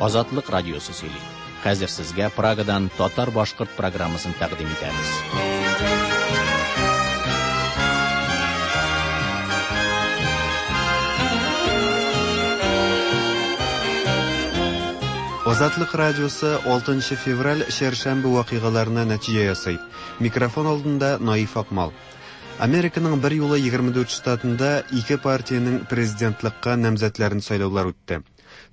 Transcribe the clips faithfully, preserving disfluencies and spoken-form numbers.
Азатлык радиосы сөйли. Хәзер сезгә Прагадан татар-башкорт программасын тәкъдим итәбез. Азатлык радиосы алтынчы февраль чәршәмбе вакыйгаларына нәтиҗә ясый. Микрофон алдында Наиф Акмал. Американың бер юлы егерме дүрт штатында ике партиянең президентлыкка намзәтләрен сайлаулар үтте.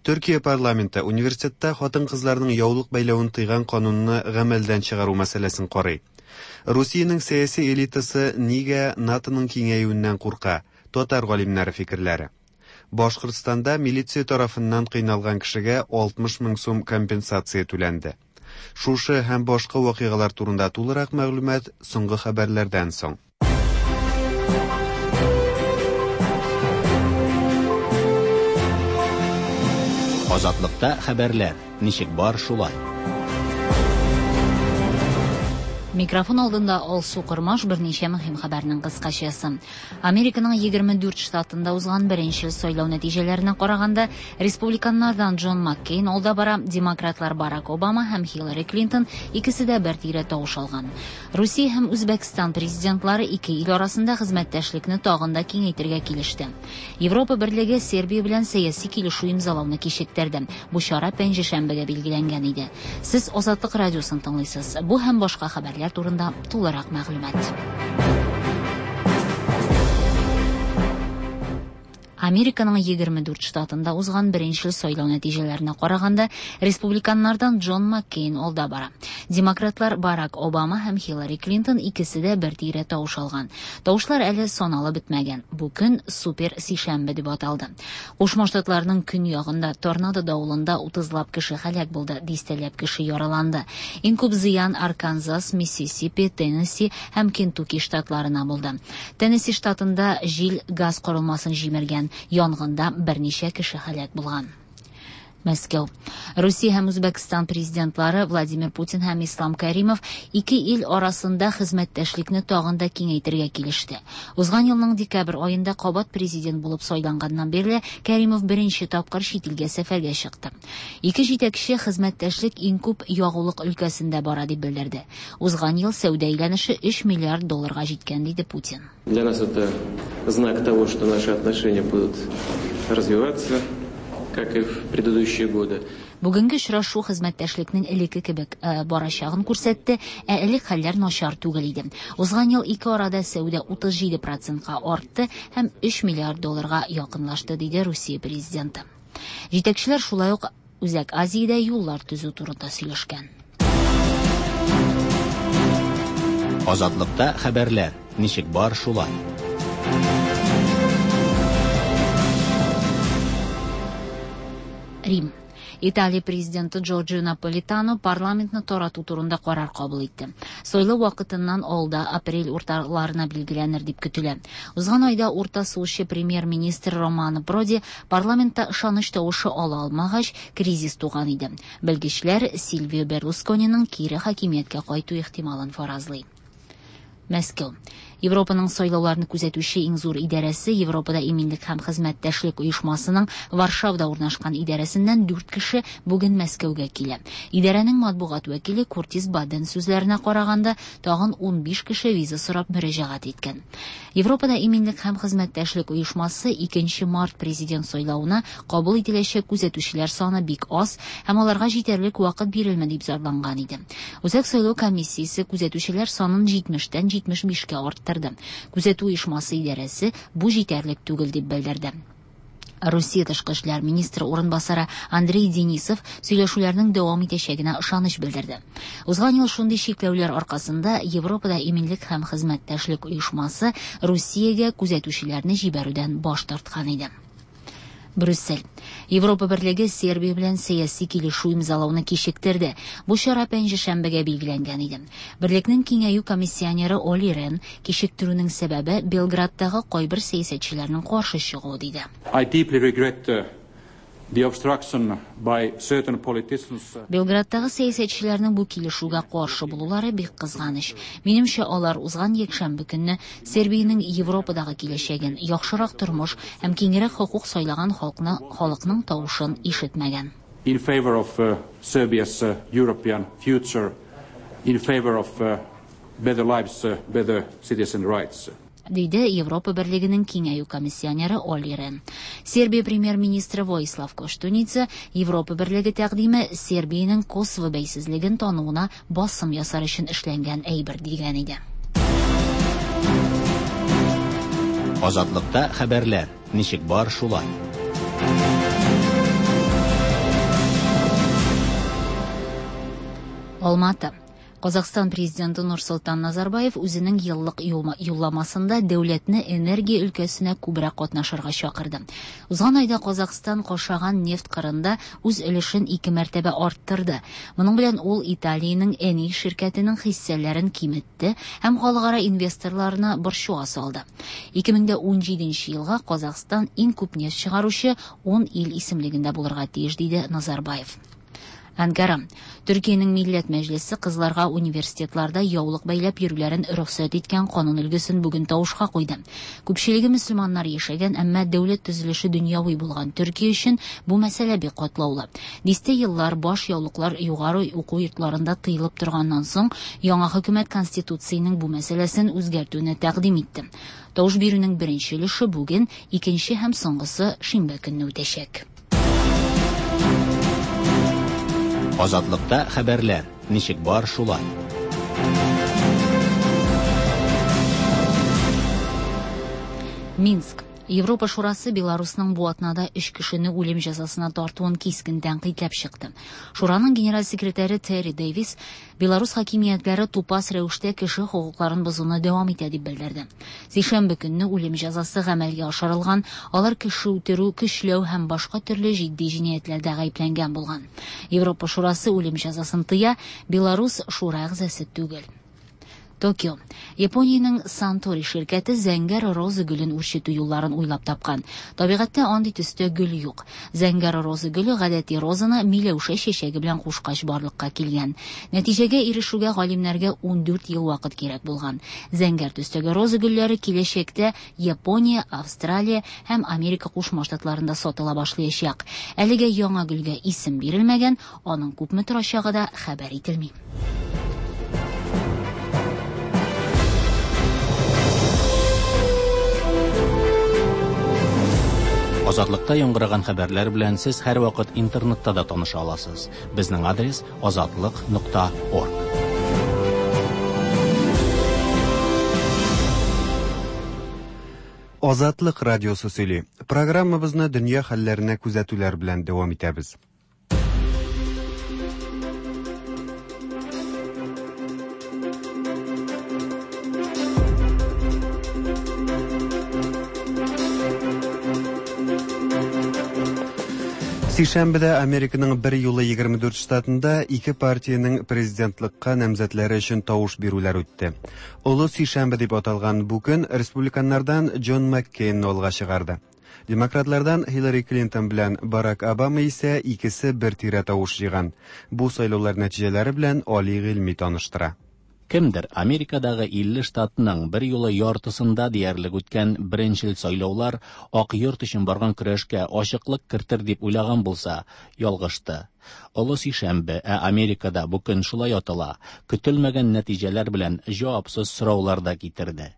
Төркия парламенты университетта хатын-кызларның яулык бәйләвен тыйган канунны гамәлдән чыгару мәсьәләсен карый. Русиянең сәяси элитасы нигә НАТОның киңәюеннән курка? Татар галимнәре фикерләре. Башкортстанда милиция тарафыннан кыйналган кешегә алтмыш мең сум компенсация түләнде. Шушы һәм башка вакыйгалар турында тулырак мәгълүмат соңгы хәбәрләрдән соң. Азатлыкта хәбәрләр ничек бар шулай. Микрофон алдында Алсу Кормаш берничә мөһим хәбәрнең кыскачасы. Американың егерме дүрт штатында узган беренче сайлау нәтиҗәләренә караганда, республиканнардан Джон Маккейн алда бара, демократлар Барак Обама һәм Хиллари Клинтон икесе дә бер тирә тавыш алган. Русия һәм Үзбәкстан президентлары ике ил арасында хезмәттәшлекне тагын да киңәйтергә килеште. Европа Берлеге Сербия белән сәяси килешү имзалауны кичектерде. Бу чара пәнҗешәмбегә билгеләнгән иде. Сез Азатлык радиосын тыңлыйсыз. Бу һәм башка хәбәрләр турында тулырак мәгълүмат. Американың егерме дүрт штатында узган беренче сайлау нәтиҗәләренә караганда, республиканнардан Джон Маккейн алда бара. Демократлар Барак Обама һәм Хиллари Клинтон икесе дә бер тирә тавыш алган. Тавышлар әле саналып бетмәгән. Бу көн супер сишәмбе дип аталды. Кушма Штатларның көньягында торнадо давылында утызлап кеше һәлак булды, дистәләп кеше яраланды. Иң күп зыян Арканзас, Миссисипи, Теннесси һәм Кентукки штатларына булды. Теннесси штатында җил газ корылмасын җимергән. Янгында берничә кеше һәлак булган. Мәскәү. Русия һәм Үзбәкстан президентлары Владимир Путин һәм Ислам Каримов ике ил арасында хезмәттәшлекне тагын да киңәйтергә килеште. Узган елның декабрь аенда кабат президент булып сайланганнан бирле Каримов беренче тапкыр чит илгә сәфәргә чыкты. Ике җитәкче хезмәттәшлек иң күп ягулык өлкәсендә бара дип белдерде. Узган ел сәүдә әйләнеше өч миллиард долларга җиткән, диде Путин. Для нас это знак того, что наши отношения будут развиваться, как и в предыдущие годы. Бүгенге очрашу хезмәттәшлекнең элекке кебек, э, барачагын күрсәтте, ә элек хәлләр начар түгел иде. Узган ел ике арада сәүдә утыз җиде процентка артты һәм өч миллиард долларга якынлашты, диде Русия президенты. Җитәкчеләр шулай ук Үзәк Азиядә юллар төзү турында сөйләшкән. Азатлыкта хәбәрләр ничек бар шулай. Рим. Италия президенты Джорджио Наполитано парламентны тарату турында карар кабул итте. Сайлау вакытыннан алда апрель урталарына билгеләнер дип көтелә. Узган айда урта сулчы премьер-министр Романо Проди парламентта ышаныч тавышы ала алмагач, кризис туган иде. Белгечләр Сильвио Берлускониның кире хакимияткә кайту ихтималын фаразлый. Мәскәү. Европаның сайлауларны күзәтүче иң зур идарәсе Европада иминлек һәм хезмәттәшлек оешмасының Варшавда урнашкан идарәсеннән дүрт кеше бүген Мәскәүгә килә. Идарәнең матбугат вәкиле Куртис Баден сүзләренә караганда, тагын унбиш кеше виза сорап мөрәҗәгать иткән. Европада иминлек һәм хезмәттәшлек оешмасы икенче март президент сайлавына кабул ителәчәк күзәтүчеләр саны бик аз һәм аларга җитәрлек вакыт бирелми дип зарланган иде. Үзәк сайлау комиссиясе күзәтүчеләр санын җитмештән җитмеш бишкә арттырды. Күзәтү оешмасы идарәсе бу җитәрлек түгел дип белдерде. Русия тышкы эшләр министры урынбасары Андрей Денисов сөйләшүләрнең дәвам итәчәгенә ышаныч белдерде. Узган ел шундый чикләүләр аркасында Европада иминлек һәм хезмәттәшлек оешмасы Русиягә күзәтүчеләрне җибәрүдән баш тарткан иде. Брюссель. Европа Берлеге Сербия белән сәяси килешү имзалауны кичектерде. Бу чара пәнҗешәмбегә билгеләнгән иде. Берлекнең киңәю комиссионеры Оли Рен кичектерүнең сәбәбе Белградтагы кайбер сәясәтчеләрнең каршы чыгуы диде. I deeply regret, uh, the obstruction by certain politicians. Белградтагы сәясәтчеләрнең бу килешүгә каршы булулары бик кызганыч. Минемчә, алар узган якшәмбе көнне Сербиянең Европадагы киләчәген, яхшырак тормыш һәм киңрәк хокук сайлаган халыкны, халыкның тавышын ишетмәгән. In favor of uh, Serbia's uh, European future, in favor of uh, better lives, uh, better citizen rights. Диде Европа Берлегенең киңәю комиссионеры Олли Рен. Сербия премьер-министры Воислав Коштуница Европа Берлеге тәкъдиме Сербиянең Косово бәйсезлеген тануына басым ясар өчен эшләнгән әйбер дигән иде. Азатлыкта хәбәрләр ничек бар шулай. Алматы. Казахстан президенты Нурсултан Назарбаев үзенең еллык юлламасында дәүләтне энергия өлкәсенә күбрәк катнашырга чакырды. Узган айда Казахстан кашаган нефть кырында үз өлешен ике мәртәбә арттырды. Моның белән ул Италиянең Eni ширкәтенең хиссәләрен киметте һәм халыкара инвесторларны борчуга салды. ике мең ун җиденче елга Казахстан иң күп нефть чыгаручы ун ил исемлегендә булырга тиеш, диде Назарбаев. Анкара. Төркиянең Милләт Мәҗлесе кызларга университетларда яулык бәйләп йөрүләрен рөхсәт иткән канун өлгесен бүген тавышка куйды. Күпчелеге мөселманнар яшәгән, әмма дәүләт төзелеше дөньяви булган Төркия өчен бу мәсьәлә бик катлаулы. Дистә еллар баш яулыклар югары уку йортларында тыелып торганнан соң, яңа хөкүмәт конституциянең бу мәсьәләсен үзгәртүне тәкъдим итте. Тавыш бирүнең беренче өлеше бүген, икенче һәм соңгысы шимбә көнне үтәчәк. Азатлыкта хәбәрләр ничек бар шулай. Минск. Европа Шурасы Беларусның бу атнада өч кешене үлем җәзасына тартуын кискен тәнкыйтьләп чыкты. Шураның генераль секретаре Терри Дэвис Беларус хакимиятләре тупас рәвештә кеше хокукларын бозуны дәвам итә дип белдерде. Сишәмбе көнне үлем җәзасы гамәлгә ашырылган, алар кеше үтерү, көчләү һәм башка төрле җитди җинаятьләрдә гаепләнгән булган. Европа Шурасы үлем җәзасын тыя, Беларус шура әгъзасы түгел. Токио. Япониянең Сантори ширкәте зәңгәр роза гөлен үрчетү юлларын уйлап тапкан. Табигатьтә андый төстә гөл юк. Зәңгәр роза гөле гадәти розаны миләүшә чәчәге белән кушкач барлыкка килгән. Нәтиҗәгә ирешүгә галимнәргә ун дүрт ел вакыт кирәк булган. Зәңгәр төстәге роза гөлләре киләчәктә Япония, Австралия һәм Америка Кушма Штатларында сатыла башлаячак. Әлегә яңа гөлгә исем бирелмәгән, аның күпме торачагы да хәбәр ителми. Азатлыкта яңгыраган хәбәрләр белән сез һәрвакыт интернетта да таныша аласыз. Безнең адрес азатлык нокта орг. Азатлык радиосы сөйли. Программабызны дөнья хәлләренә күзәтүләр белән дәвам итәбез. Сишәмбедә Американың бер юлы егерме дүрт штатында ике партиянең президентлыкка намзәтләре өчен тавыш бирүләр үтте. Олы Сишәмбе дип аталган бу көн республиканнардан Джон Маккейнны алга чыгарды. Демократлардан Хиллари Клинтон белән Барак Обама исә икесе бер тирә тавыш җыйган. Бу сайлаулар нәтиҗәләре белән Али Гыйльми таныштыра. Кемдер Америкадагы илле штатның бер юлы яртысында диярлек үткән беренчел сайлаулар Ак йорт өчен барган көрәшкә ачыклык кертер дип уйлаган булса, ялгышты. Олы Сишәмбе, ә Америкада бу көн шулай атала, көтелмәгән нәтиҗәләр белән җавапсыз сораулар да китерде.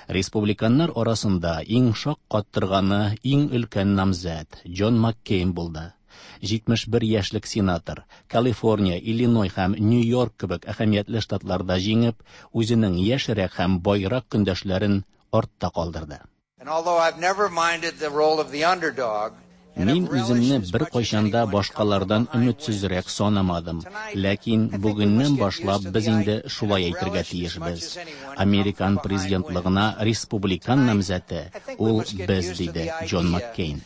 Республиканнар арасында иң шаккаттырганы иң өлкән намзәт Джон Маккейн булды. җитмеш бер яшьлек сенатор Калифорния, Иллиной һәм Нью-Йорк кебек әһәмиятле штатларда җиңеп, үзенең яшьрәк һәм байрак көндәшләрен артта калдырды. Мин үземне бер кайчан да башкалардан өметсезрәк санамадым. Ләкин бүгеннән башлап без инде шулай әйтергә тиешбез. Американ президентлыгына республикан намзәте ул без, диде Джон Маккейн.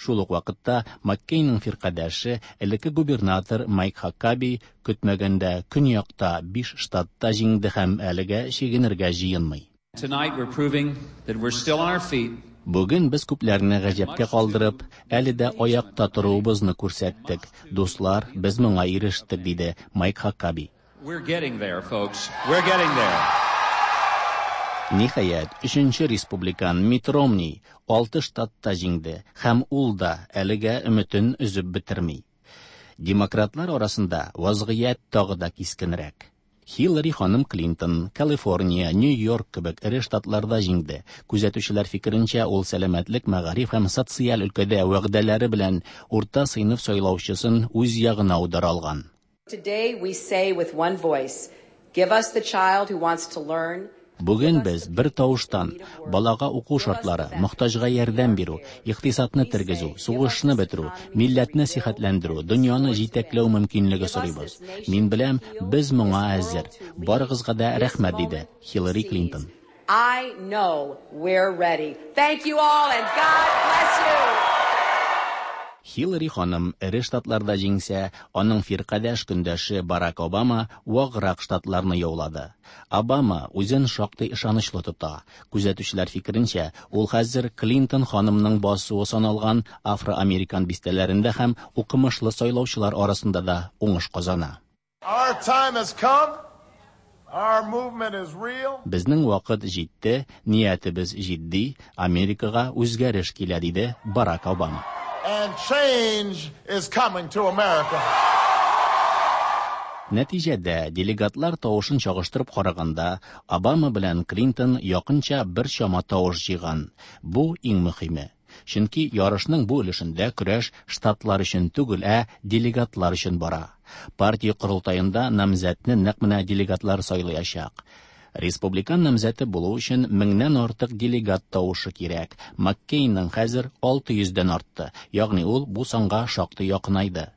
Шул ук вакытта Маккейнның фиркадәше, элекке губернатор Майк Хакаби көтмәгәндә көньякта биш штатта җиңде һәм әлегә чигенергә җыенмый. Бүген без күпләрне гаҗәпкә калдырып, әле дә аякта торуыбызны күрсәттек. Дуслар, без моңа ирештек, диде Майк Хакаби. We're getting there, folks. We're getting there. Ниһаять, өченче республикан Митт Ромни алты штатта җиңде һәм ул да әлегә өметен өзеп бетерми. Демократлар арасында вазгыять тагы да кискенрәк. Хиллари ханым Клинтон, Калифорния, Нью-Йорк кебек эре штатларда җиңде. Күзәтүчеләр фикеренчә, ул сәламәтлек, мәгариф һәм социаль өлкәдә вәгъдәләре белән урта сыйныф сайлаучысын үз ягына аудара алган. Today we say with one voice, give us the child who wants to learn. Бүген без бер тавыштан балага уку шартлары, мохтаҗга ярдәм бирү, икътисадны тергезү, сугышны бетерү, милләтне сихәтләндерү, дөньяны җитәкләү мөмкинлеге сорыйбыз. Мин беләм, без моңа әзер. Барыгызга да рәхмәт, диде Хиллари Клинтон. I know we're ready. Thank you all and God bless you. Хиллари ханым эре штатларда җиңсә, аның фиркадәш көндәше Барак Обама ваграк штатларны яулады. Обама үзен шактый ышанычлы тота. Күзәтүчеләр фикеренчә, ул хәзер Клинтон ханымның басуы саналган афроамерикан бистәләрендә һәм укымышлы сайлаучылар арасында да уңыш казана. Our time has come. Our movement is real. Безнең вакыт җитте, ниятебез җитди, Америкага үзгәреш килә, диде Барак Обама. And change is coming to America. Нәтиҗәдә делегатлар тавышын чагыштырып караганда, Обама белән Клинтон якынча бер чама тавыш җыйган. Бу иң мөһиме. Чөнки ярышның бу өлешендә көрәш штатлар өчен түгел, ә делегатлар өчен бара. Партия корылтаенда намзәтне нәкъ менә делегатлар сайлаячак. Республикан намзәте булу өчен меңнән артык делегат тавышы кирәк. Маккейнның хәзер алты йөздән артты, ягъни ул бу санга шактый якынайды.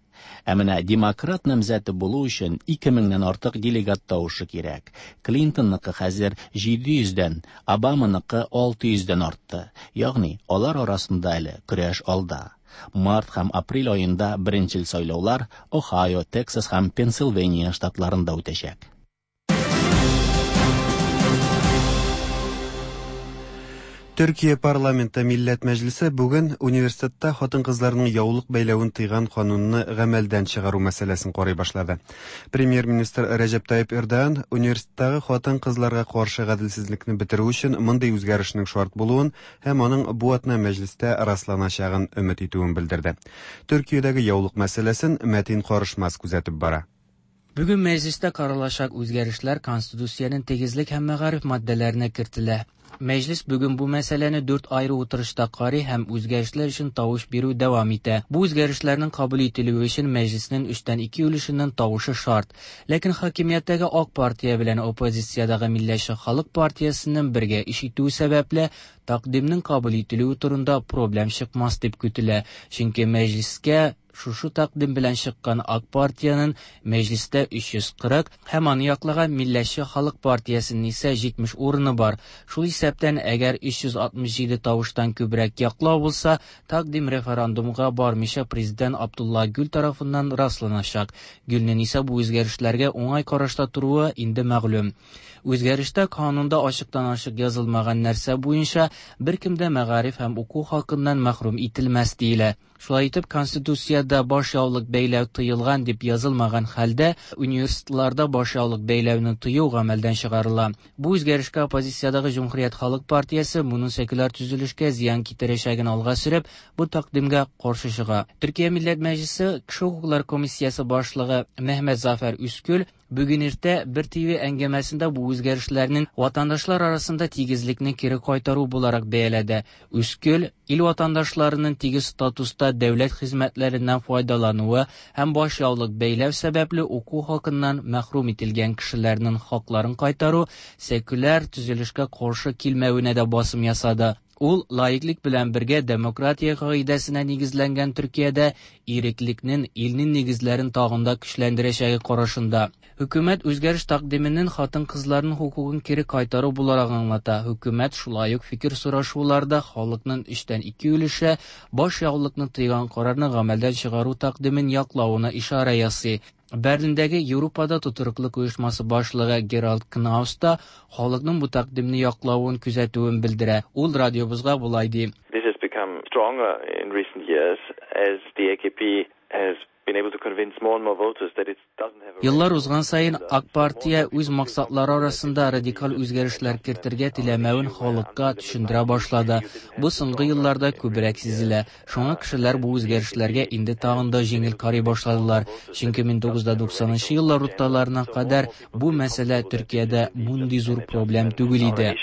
Ә менә демократ намзәте булу өчен ике меңнән артык делегат тавышы кирәк. Клинтонныкы хәзер җиде йөздән, Обаманыкы алты йөздән артты. Ягъни алар арасында әле көрәш алда. Март һәм апрель аенда беренчел сайлаулар Ohio, Texas һәм Пенсильвания штатларында үтәчәк. Төркия парламенты Милләт Мәҗлесе бүген университетта хатын-кызларның яулык бәйләвен тыйган канунны гамәлдән чыгару мәсьәләсен карый башлады. Премьер-министр Рәҗәп Тайип Эрдоган университеттагы хатын-кызларга каршы гаделсезлекне бетерү өчен мондый үзгәрешнең шарт булуын һәм аның бу атна мәҗлестә расланачагын өмет итүен белдерде. Төркиядәге яулык мәсьәләсен Мәтин Карышмас күзәтеп бара. Бүген мәҗлестә каралачак үзгәрешләр Конституциянең тигезлек һәм мәгариф маддәләренә кертелә. Мәҗлес бүген бу мәсьәләне дүрт айры утырышта карый һәм үзгәрешләр өчен тавыш бирү дәвам итә. Бу үзгәрешләрнең кабул ителүе өчен мәҗлеснең өчтән ике өлешеннән тавышы шарт. Ләкин хакимияттәге Ак партия белән оппозициядәге Милләтче Халык партиясенең бергә эш итүе сәбәпле тәкъдимнең кабул ителүе турында проблем чыкмас дип көтелә. Чөнки мәҗлескә шушы тәкъдим белән чыккан Ак партиянең мәҗлестә өч йөз кырык һәм аны яклаган Милләтче Халык партиясенең исә җитмеш урыны бар. Шул исәптән, әгәр өч йөз алтмыш җиде тавыштан күбрәк яклау булса, тәкъдим референдумга бармыйча президент Абдулла Гүл тарафыннан расланачак. Гүлнең исә бу үзгәрешләргә уңай карашта торуы инде мәгълүм. Үзгәрештә канунда ачыктан-ачык язылмаган нәрсә буенча беркем дә мәгариф һәм уку хакыннан мәхрүм ителмәс диелә. Шулай итеп, Конституциядә баш яулык бәйләү тыелган дип язылмаган хәлдә университетларда баш яулык бәйләүне тыю гамәлдән чыгарыла. Бу үзгәрешкә оппозициядәге Җөмһүрият Халык партиясе моның секуляр төзелешкә зыян китерәчәген алга сөреп, бу тәкъдимгә каршы чыга. Төркия Милләт Мәҗлесе Кеше хокуклары комиссиясе башлыгы Мехмет Зафәр Үскүл бүген иртә бер Т В әңгәмәсендә бу үзгәрешләрнең ватандашлар арасында тигезлекне кире кайтару буларак бәяләде. Үскүл ил ватандашларының тигез статуста дәүләт хезмәтләреннән файдалануы һәм баш яулык бәйләү сәбәпле уку хакыннан мәхрүм ителгән кешеләрнең хакларын кайтару секуляр төзелешкә каршы килмәвенә дә басым ясады. Ул лаиклык белән бергә демократия кагыйдәсенә нигезләнгән Төркиядә иреклекнең илнең нигезләрен тагын да көчләндерәчәге карашында. Хөкүмәт үзгәреш тәкъдименең хатын-кызларның хокукын кире кайтару буларак аңлата. Хөкүмәт шулай ук фикер сорашуларда халыкның өчтән ике өлеше баш яулыкны тыйган карарны гамәлдән чыгару тәкъдимен яклавына ишарә ясый. Берлиндәге Европада тотрыклылык оешмасы башлыгы Геральд Кнаус та халыкның бу тәкъдимне яклавын күзәтүен белдерә. Ул радиобызга болай ди. This has become stronger in recent years as the A K P has Еллар узган саен Ак партия үз максатлары арасында радикаль үзгәрешләр кертергә теләмәвен халыкка төшендерә башлады. Бу соңгы елларда күбрәк сизелә. Шуңа кешеләр бу үзгәрешләргә инде тагын да җиңел карый башладылар. Чөнки мең тугыз йөз туксанынчы еллар урталарына кадәр бу мәсьәлә Төркиядә мондый зур проблем түгел иде.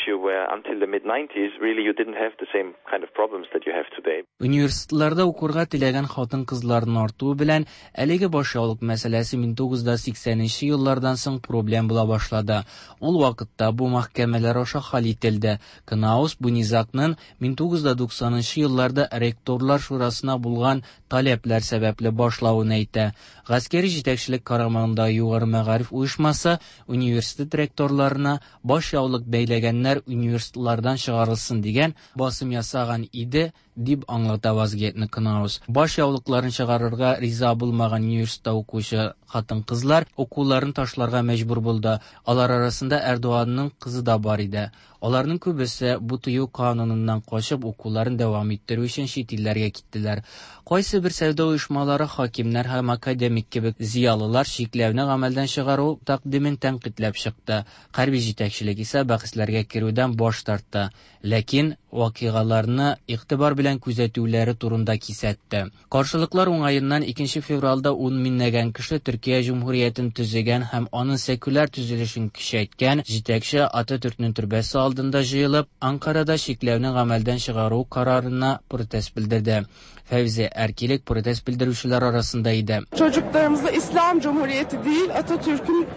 Университетларда укырга теләгән хатын-кызларның артуы белән әлеге башъяулык мәсьәләсе мең тугыз йөз сиксәненче еллардан соң проблем була башлады. Ул вакытта бу мәхкәмәләр аша хәл ителде. Кнаус бу низагның мең тугыз йөз туксанынчы елларда ректорлар шурасына булган таләпләр сәбәпле башлавын әйтә. Гаскәри җитәкчелек карамагында югары мәгариф оешмасы университет ректорларына башъяулык бәйләгәннәр университетлардан чыгарылсын дигән басым ясаган иде, дип аңлата вазгыятьне Кнаус. Баш яулыкларын чыгарырга риза булмаган университетта укучы хатын-кызлар укуларын ташларга мәҗбүр булды. Алар арасында Эрдоганның кызы да бар иде. Аларның күбесе бу тыю кануныннан качып укуларын дәвам иттерү өчен чит илләргә киттеләр. Кайсы бер сәүдә оешмалары, хакимнәр һәм академик кебек зыялылар чикләүне гамәлдән чыгару тәкъдимен тәнкыйтьләп чыкты. Хәрби җитәкчелек исә бәхәсләргә керүдән баш тартты. Ләкин вакыйгаларны игътибар белән күзәтүләре турында кисәтте. Каршылыклар уңаеннан икенче февральдә ун меңләгән кеше Төркия Җөмһүриятен төзегән һәм аның секуляр төзелешен көчәйткән җитәкче Ататүркнең төрбәсе алдында җыелып, Анкарада чикләүне гамәлдән чыгару карарына протест белдерде. Фәүзе Әркилек протест белдерүчеләр арасында иде. Çocuklarımızı İslam Cumhuriyeti değil, Atatürk'ün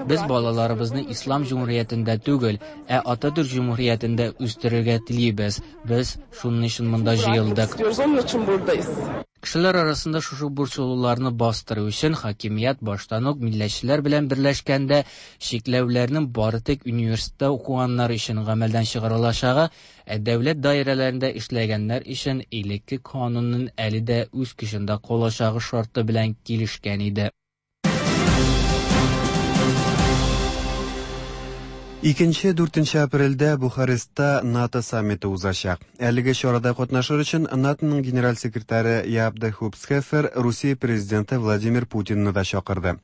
Без балаларыбызны Ислам Җөмһүриятендә түгел, ә Ататүрк Җөмһүриятендә үстерергә телибез. Без шуның өчен монда җыелдык. Кешеләр арасында шушы борчылуларны бастыру өчен хакимият баштан ук милләтчеләр белән берләшкәндә чикләүләрнең бары тик университетта укыганнар өчен гамәлдән чыгарылачагы, ә дәүләт даирәләрендә эшләгәннәр өчен элекке канунның әле дә үз көчендә калачагы шарты белән килешкән иде. Икенче дүртенче апрельдә Бухарестта НАТО саммиты узачак. Әлеге чарада катнашыр өчен НАТОның генераль секретаре Яп де Хупсхефер Русия президенты Владимир Путинны да чакырды.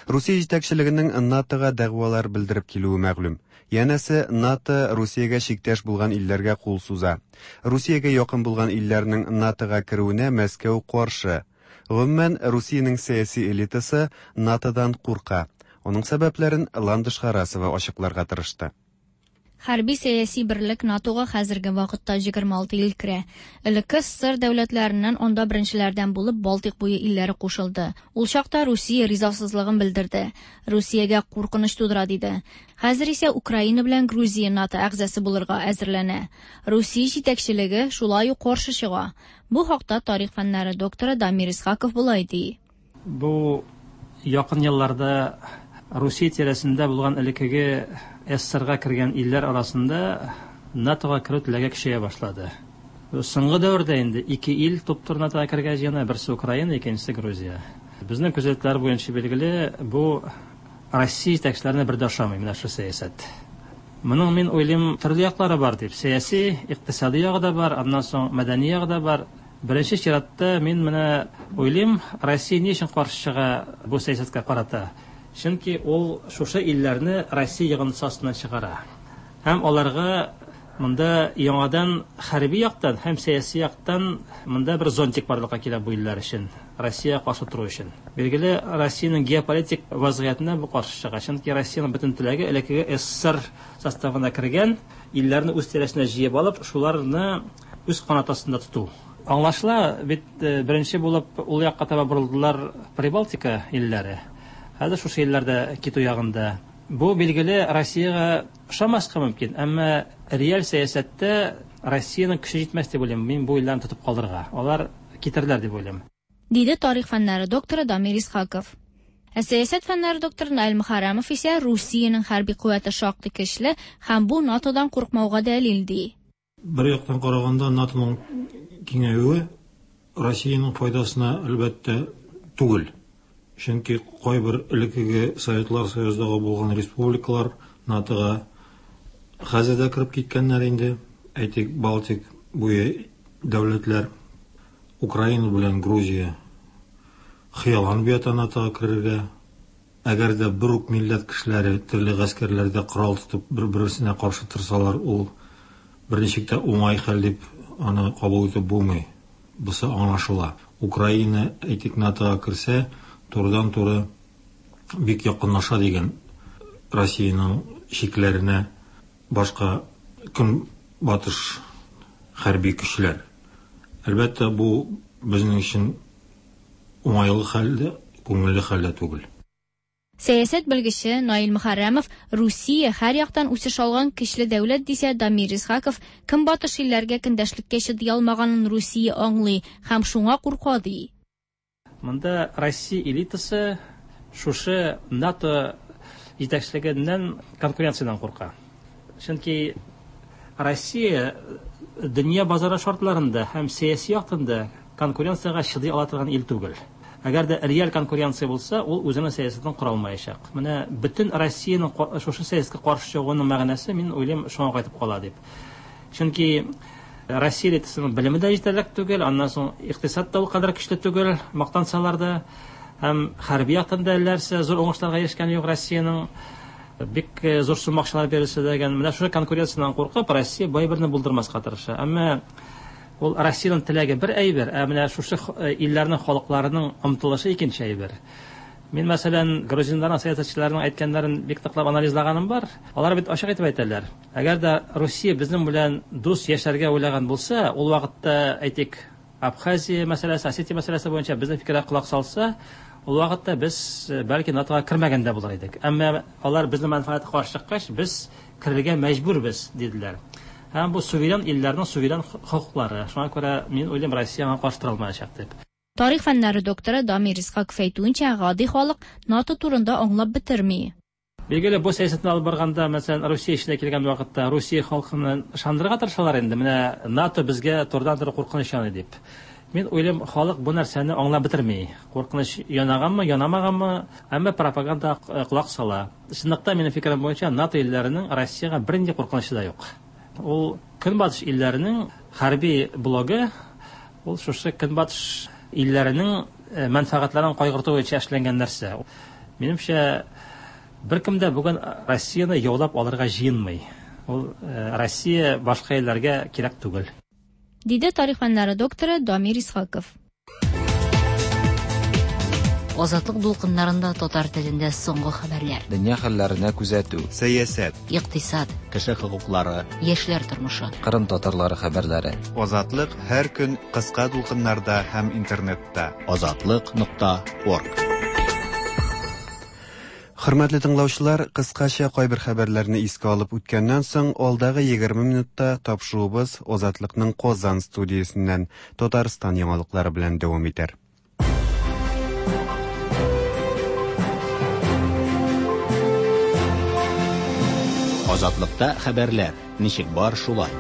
Русия җитәкчелегенең НАТОга дәгъвалар белдереп килүе мәгълүм. Янәсе, НАТО Русиягә чиктәш булган илләргә кул суза. Русиягә якын булган илләрнең НАТОга керүенә Мәскәү каршы. Гомумән, Русиянең сәяси элитасы НАТОдан курка. Оның сәбәпләрен Ландыш Харасова ачыкларга тырышты. Хәрби сәяси берлек НАТОга хәзерге вакытта егерме алты ил керә. Элекке СССР дәүләтләреннән анда беренчеләрдән булып Балтыйк буе илләре кушылды. Ул чакта Русия ризасызлыгын белдерде. Русиягә куркыныч тудыра диде. Хәзер исә Украина белән Грузия НАТО әгъзасы булырга әзерләнә. Русия җитәкчелеге шулай ук каршы чыга. Бу хакта тарих фәннәре докторы Дамир Исхаков болай ди. Бу якын елларда Русия тирәсендә булган элеккеге СССРга кергән илләр арасында НАТОга керү теләге көчәя башлады. Соңгы дәвердә инде ике ил туп-туры НАТОга кергән җыена, берсе Украина, икенчесе Грузия. Безнең күзәтүләр буенча билгеле, бу Россия җитәкчеләренә бер дә ошамый менә шу сәясәт. Моның мин уйлыйм төрле яклары бар дип. Сәяси, икътисади ягы да бар, аннан соң мәдәни ягы да бар. Беренче чиратта мин менә уйлыйм, Россия ни өчен каршы чыга бу сәясәткә карата? Чөнки ул шушы илләрне Россия йогынтысы астыннан чыгара. Һәм аларга монда яңадан хәрби яктан һәм сәяси яктан монда бер зонтик барлыкка килә бу илләр өчен, Россия каршы тору өчен. Билгеле, Россиянең геополитик вазгыятенә бу каршы чыга. Чөнки Россиянең бөтен теләге элеккеге СССР составына кергән илләрне үз тирәсенә җыеп алып, шуларны үз канат астында тоту. Аңлашыла, бит беренче булып ул якка таба борылдылар Прибалтика илләре. Хәзер шушы илләрдә китү ягында. Бу билгеле Россиягә ошамаска мөмкин, әмма реаль сәясәттә Россиянең көче җитмәс дип уйлыйм. Мин бу илләрне тотып калдырырга. Алар китерләр дип уйлыйм. Диде тарих фәннәре докторы Дамир Исхаков. Ә сәясәт фәннәре докторы Наил Мөхәррәмов исә Русиянең хәрби куәте шактый көчле һәм бу НАТОдан куркмауга дәлил ди. Бер яктан караганда НАТОның киңәюе Россиянең файдасына әлбәттә түгел. Чөнки кайбер элеккеге Советлар Союзындагы булган республикалар НАТОга хәзер дә кереп киткәннәр инде. Әйтик, Балтик буе дәүләтләр, Украина белән Грузия хыялланып ята НАТОга керергә. Әгәр дә бер үк милләт кешеләре төрле гаскәрләрдә корал тотып бер-берсенә каршы торсалар, ул берничек тә уңай хәл дип аны кабул итеп булмый. Бусы аңлашыла. Украина, әйтик, НАТОга керсә, турыдан-туры бик якынлаша дигән Россиянең чикләренә башка көнбатыш хәрби көчләр. Әлбәттә, бу безнең өчен уңайлы хәл дә, күңелле хәл дә түгел. Сәясәт белгече Наил Мөхәррәмов Русия һәр яктан үсеш алган көчле дәүләт дисә, Дамир Исхаков көнбатыш илләргә көндәшлеккә чыдый алмаганын Русия аңлый һәм шуңа курка ди. Монда Россия элитасы шушы НАТО җитәкчелегеннән конкуренциядән курка. Чөнки Россия дөнья базары шартларында һәм сәяси яктан да конкуренциягә чыдый ала торган ил түгел. Әгәр дә реаль конкуренция булса, ул үзенең сәясәтен кора алмаячак. Менә бөтен Россиянең шушы сәясәткә каршы чыгуының мәгънәсе, мин уйлыйм, шуңа кайтып кала дип. Чөнки Россия элитасының белеме дә җитәрлек түгел, аннан соң икътисад та ул кадәр көчле түгел, мактансалар да, һәм хәрби яктан да әлләрсә зур уңышларга ирешкән юк Россиянең. Бик зур сумма акчалар бирелсә дә, менә шушы конкуренциядән куркып, Россия бай берне булдырмаска тырыша. Әмма ул Россиянең теләге бер әйбер, ә менә шушы илләрнең халыкларының омтылышы икенче әйбер. Мин, мәсәлән, грузиннарның сәясәтчеләренең әйткәннәрен бик ныклап анализлаганым бар. Алар бит ачык итеп әйтәләр. Әгәр дә Русия безнең белән дус яшәргә уйлаган булса, ул вакытта, әйтик, Абхазия мәсьәләсе, Осетия мәсьәләсе буенча безнең фикергә колак салса, ул вакытта без бәлки НАТОга кермәгән дә булыр идек. Әмма алар безнең мәнфәгатькә каршы чыккач, без керергә мәҗбүрбез, диделәр. Һәм бу суверен илләрнең суверен хокуклары. Шуңа күрә мин уйлыйм, Россия аңа каршы тора алмаячак дип. Тарих фәннәре докторы Дамир Исхаков әйтүенчә, гади халык НАТО турында аңлап бетерми. Билгеле, бу сәясәтне алып барганда, мәсәлән, Русия эченә килгән вакытта Русия халкын ышандырырга тырышалар инде. Менә НАТО безгә турыдан-туры куркыныч яный дип. Мин уйлыйм, халык бу нәрсәне аңлап бетерми. Куркыныч янаганмы, янамаганмы, әмма пропаганда колак сала. Чынлыкта, минем фикерем буенча, НАТО илләренең Россиягә бернинди куркынычы да юк. Ул көнбатыш илләренең хәрби блогы, ул шушы көнбатыш илләренең мәнфәгатьләрен кайгырту буенча эшләнгән нәрсә. Минемчә, беркем дә бүген Россияне яулап алырга җыенмый. Ул Россия башка илләргә кирәк түгел. Диде тарих фәннәре докторы Дамир Исхаков. Азатлык дулкыннарында татар телендә соңгы хәбәрләр. Дөнья хәлләренә күзәтү. Сәясәт. Икътисад. Кеше хокуклары. Яшьләр тормышы. Кырым татарлары хәбәрләре. Азатлык һәр көн кыска дулкыннарда һәм интернетта. Азатлык нокта орг. Хөрмәтле тыңлаучылар, кыскача кайбер хәбәрләрне искә алып үткәннән соң, алдагы егерме минутта тапшыруыбыз Азатлыкның Казан студиясеннән Татарстан яңалыклары белән дәвам итәр. Азатлыкта хәбәрләр ничек бар шулай.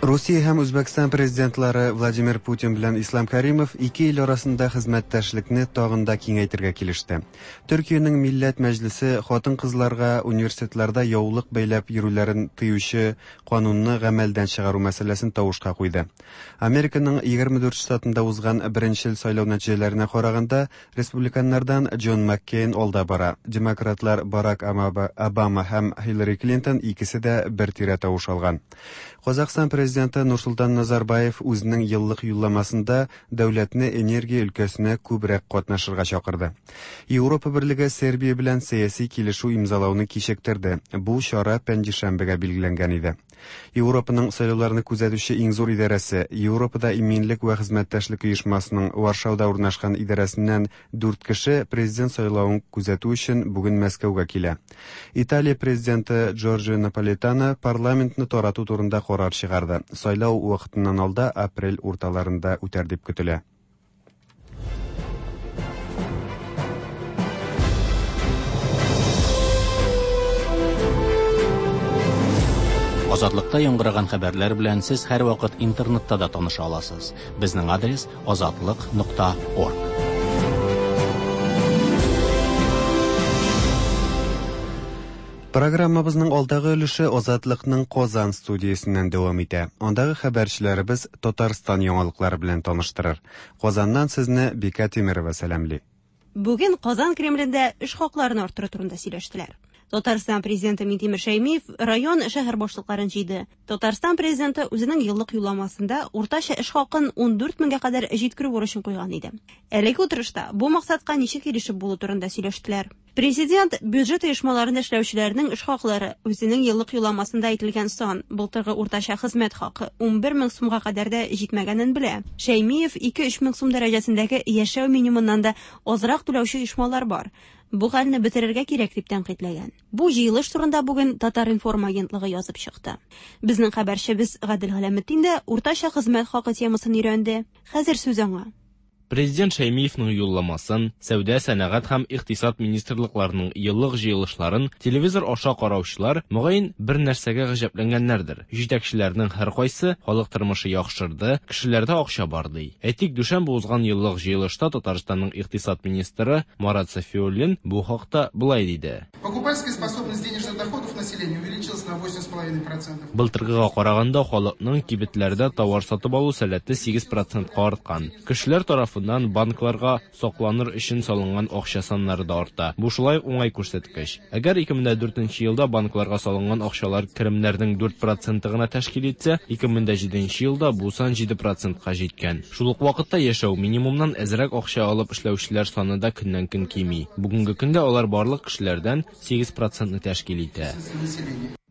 Русия һәм Үзбәкстан президентлары Владимир Путин белән Ислам Каримов ике ил арасында хезмәттәшлекне тагын да киңәйтергә килеште. Төркиянең Милләт Мәҗлесе хатын-кызларга университетларда яулык бәйләп йөрүләрен тыючы канунны гамәлдән чыгару мәсьәләсен тавышка куйды. Американың егерме дүрт штатында узган беренчел сайлау нәтиҗәләренә караганда, республиканнардан Джон Маккейн алда бара. Демократлар Барак Обама һәм Хиллари Клинтон икесе дә бер тирә тавыш алган. Казахстан президенты Нурсултан Назарбаев үзенең еллык юлламасында дәүләтне энергия өлкәсенә күбрәк катнашырга чакырды. Европа Берлеге Сербия белән сәяси килешү имзалауны кичектерде. Бу чара пәнҗешәмбегә билгеләнгән иде. Европаның сайлауларны күзәтүче иң зур идарәсе Европада иминлек вә хезмәттәшлек оешмасының Варшауда урнашкан идарәсеннән дүрт кеше президент сайлавын күзәтү өчен бүген Мәскәүгә килә. Италия президенты Джорджио Наполитано парламентны тарату турында карар чыгарды. Сайлау вакытыннан алда апрель урталарында үтәр дип көтелә. Азатлыкта яңгыраган хәбәрләр белән сез һәр вакыт интернетта да таныша аласыз. Безнең адрес азатлык нокта орг. Программабызның алдагы өлеше Азатлыкның Казан студиясеннән дәвам итә. Андагы хәбәрчеләребез Татарстан яңалыклары белән таныштырыр. Казаннан сезне Бика Тимирова сәламли. Бүген Казан Кремлендә эш хакларын арттыру турында сөйләштеләр. Татарстан президенты Минтимер Шәймиев район, шәһәр башлыкларын җыйды. Татарстан президенты үзенең еллык юлламасында уртача эш хакын ундүрт меңгә кадәр җиткерү бурычын куйган иде. Әлеге утырышта бу максатка ничек ирешеп булу турында сөйләштеләр. Президент бюджет оешмаларында эшләүчеләрнең эш хаклары үзенең еллык юлламасында әйтелгән сан, былтыргы уртача хезмәт хакы унбер мең сумга кадәр дә җитмәгәнен белә. Шәймиев ике-өч мең сум дәрәҗәсендәге яшәү минимумыннан да азрак түләүче оешмалар бар. Бу хәлне бетерергә кирәк дип тәнкыйтьләгән. Бу җыелыш турында бүген Татар-информ агентлыгы язып чыкты. Безнең хәбәрчебез Гадел Галәметдин дә уртача хезмәт хакы темасын өйрәнде. Хәзер сүз аңа. Президент Шәймиевның юлламасын, Сәүдә, сәнәгать һәм икътисад министрлыкларының еллык җыелышларын телевизор аша караучылар мөгаен бер нәрсәгә гаҗәпләнгәннәрдер. Җитәкчеләрнең һәркайсы халык тормышы яхшырды, кешеләрдә акча бар ди. Әйтик, дүшәмбе узган еллык җыелышта Татарстанның икътисад министры Марат Сафиуллин бу хакта болай диде. Покупательская способность денежных доходов населения увеличилась на восемь с половиной процентов. Былтыргыга караганда халыкның кибетләрдә товар сатып алу сәләте сигез процентка арткан. Кешеләр тарафыннан банкларга сакланыр өчен салынган акча саннары да арта. Бу шулай уңай күрсәткеч. Әгәр ике мең дүртенче елда банкларга салынган акчалар керемнәрнең дүрт проценты гына тәшкил итсә, ике мең җиденче елда бу сан җиде процентка җиткән. Шул ук вакытта яшәү минимумнан әзрәк акча алып эшләүчеләр саны да көннән-көн кими. Бүгенге көндә алар барлык кешеләрдән сигез процентны тәшкил итә.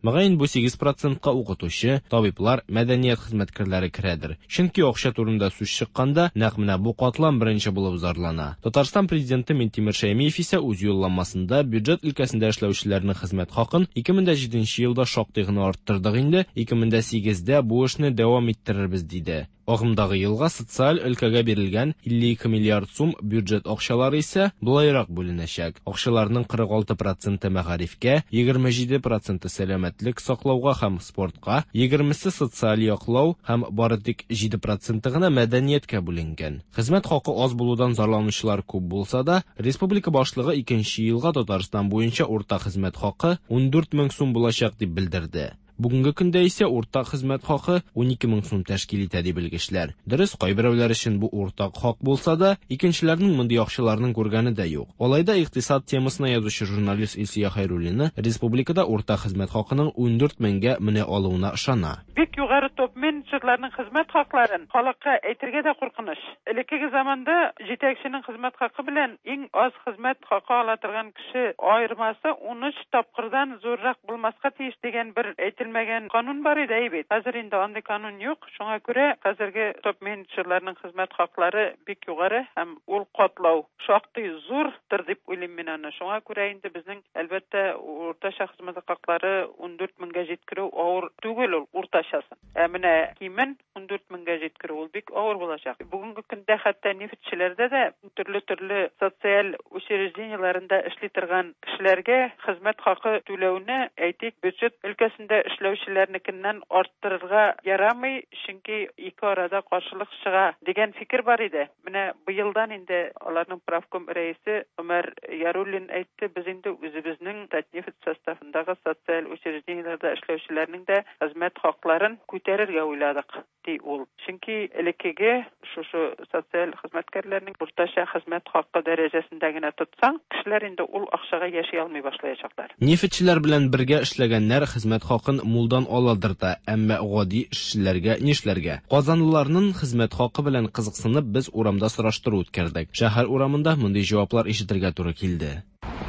Мөгаен бу сигез процентка укытучы, табиблар, мәдәният хезмәткәрләре керәдер. Чөнки акча турында сүз чыкканда, нәкъ менә бу катлам беренче булып зарлана. Татарстан президенты Минтимер Шәймиев исә үз юлламасында бюджет өлкәсендә эшләүчеләрнең хезмәт хакын ике мең җиденче елда шактый гына арттырдык инде, ике мең сигездә бу эшне дәвам иттерербез диде. Агымдагы елга социаль өлкәгә бирелгән илле ике миллиард сум бюджет акчалары исә болайрак бүленәчәк. Акчаларның кырык алты проценты мәгарифкә, егерме җиде проценты сәламәтлек саклауга һәм спортка, егермесе социаль яклау һәм бары тик җиде проценты гына мәдәнияткә бүленгән. Хезмәт хакы аз булудан зарланучылар күп булса да, республика башлыгы икенче елга Татарстан буенча урта хезмәт хакы ундүрт мең сум булачак дип белдерде. Бүгенге көндә исә уртак хезмәт хакы унике мең сум тәшкил итә дип белгечләр. Дөрес, кайберәүләр өчен бу уртак хак булса да, икенчеләрнең мондый акчаларның күргәне дә юк. Алай да икътисад темасына язучы журналист Илсөя Хәйруллина республикада уртак хезмәт хакының ундүрт меңгә менә алуына ышана. Бик югары топ-менеджерларның хезмәт хакларын халыкка әйтергә дә куркыныч. Элеккеге заманда җитәкченең хезмәт хакы белән иң аз хезмәт хакы ала торган кеше аермасы унөч тапкырдан зуррак булмаска тиеш дигән бер әйтелмәгән канун бар иде бит. Хәзер инде андый канун юк. Шуңа күрә хәзерге топ-менеджерларның хезмәт хаклары бик югары һәм ул катлау шактый зурдыр дип уйлыйм мин аны. Шуңа күрә инде безнең әлбәттә уртача хезмәт хаклары ундүрт меңгә җиткерү авыр түгел ул уртачасы. Ә менә кимен ундүрт меңгә җиткерү ул бик авыр булачак. Бүгенге көндә хәтта нефтьчеләрдә дә төрле-төрле социаль учреждениеләрендә эшли торган кешеләргә хезмәт хакы түләүне, әйтик, бюджет өлкәсендә эшләүчеләрнекеннән арттырырга ярамый, чөнки ике арада каршылык чыга дигән фикер бар иде. Менә быелдан инде аларның правком рәисе Умар Яруллин әйтте, без инде үзебезнең Татнефть составындагы социаль учреждениеләрдә эшләүчеләрнең дә хезмәт хакларын күтәрергә уйладык, ди ул. Чөнки элеккеге шушы социаль хезмәткәрләрнең уртача хезмәт хакы дәрәҗәсендә генә тотсаң, кешеләр инде ул акчага яши алмый башлаячаклар. Нефтьчеләр белән бергә эшләгәннәр хезмәт хакын мулдан аладыр да, әмма гади эшчеләргә нишләргә? Казанлыларның хезмәт хакы белән кызыксынып без урамда сораштыру үткәрдек. Шәһәр урамында мондый җаваплар ишетергә туры килде.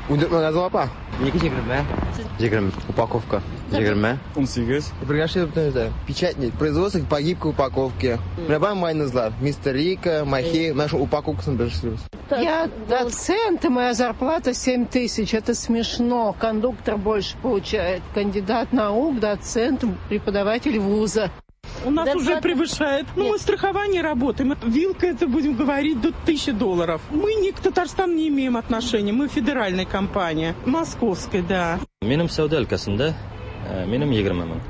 Ундүрт мең азыл апа. Ике егерме. Егерме. Упаковка. Егерме. Унсигез. Бергә бөтенесе. Печатник. Производство по гибкой упаковке. Менә бар майонезлар. Мистер Рика, Махи, менә шул упаковкасын бер эшлибез. Я доцент, и моя зарплата семь тысяч. Это смешно. Кондуктор больше получает. Кандидат наук, доцент, преподаватель вуза. У нас да, уже превышает. Ну, мы страхование работаем. Вилка, это, будем говорить, до тысячи долларов. Мы ни к Татарстану не имеем отношения. Мы федеральная компания. Московская, да. Минем сәүдә өлкәсендә, минем егерме мең.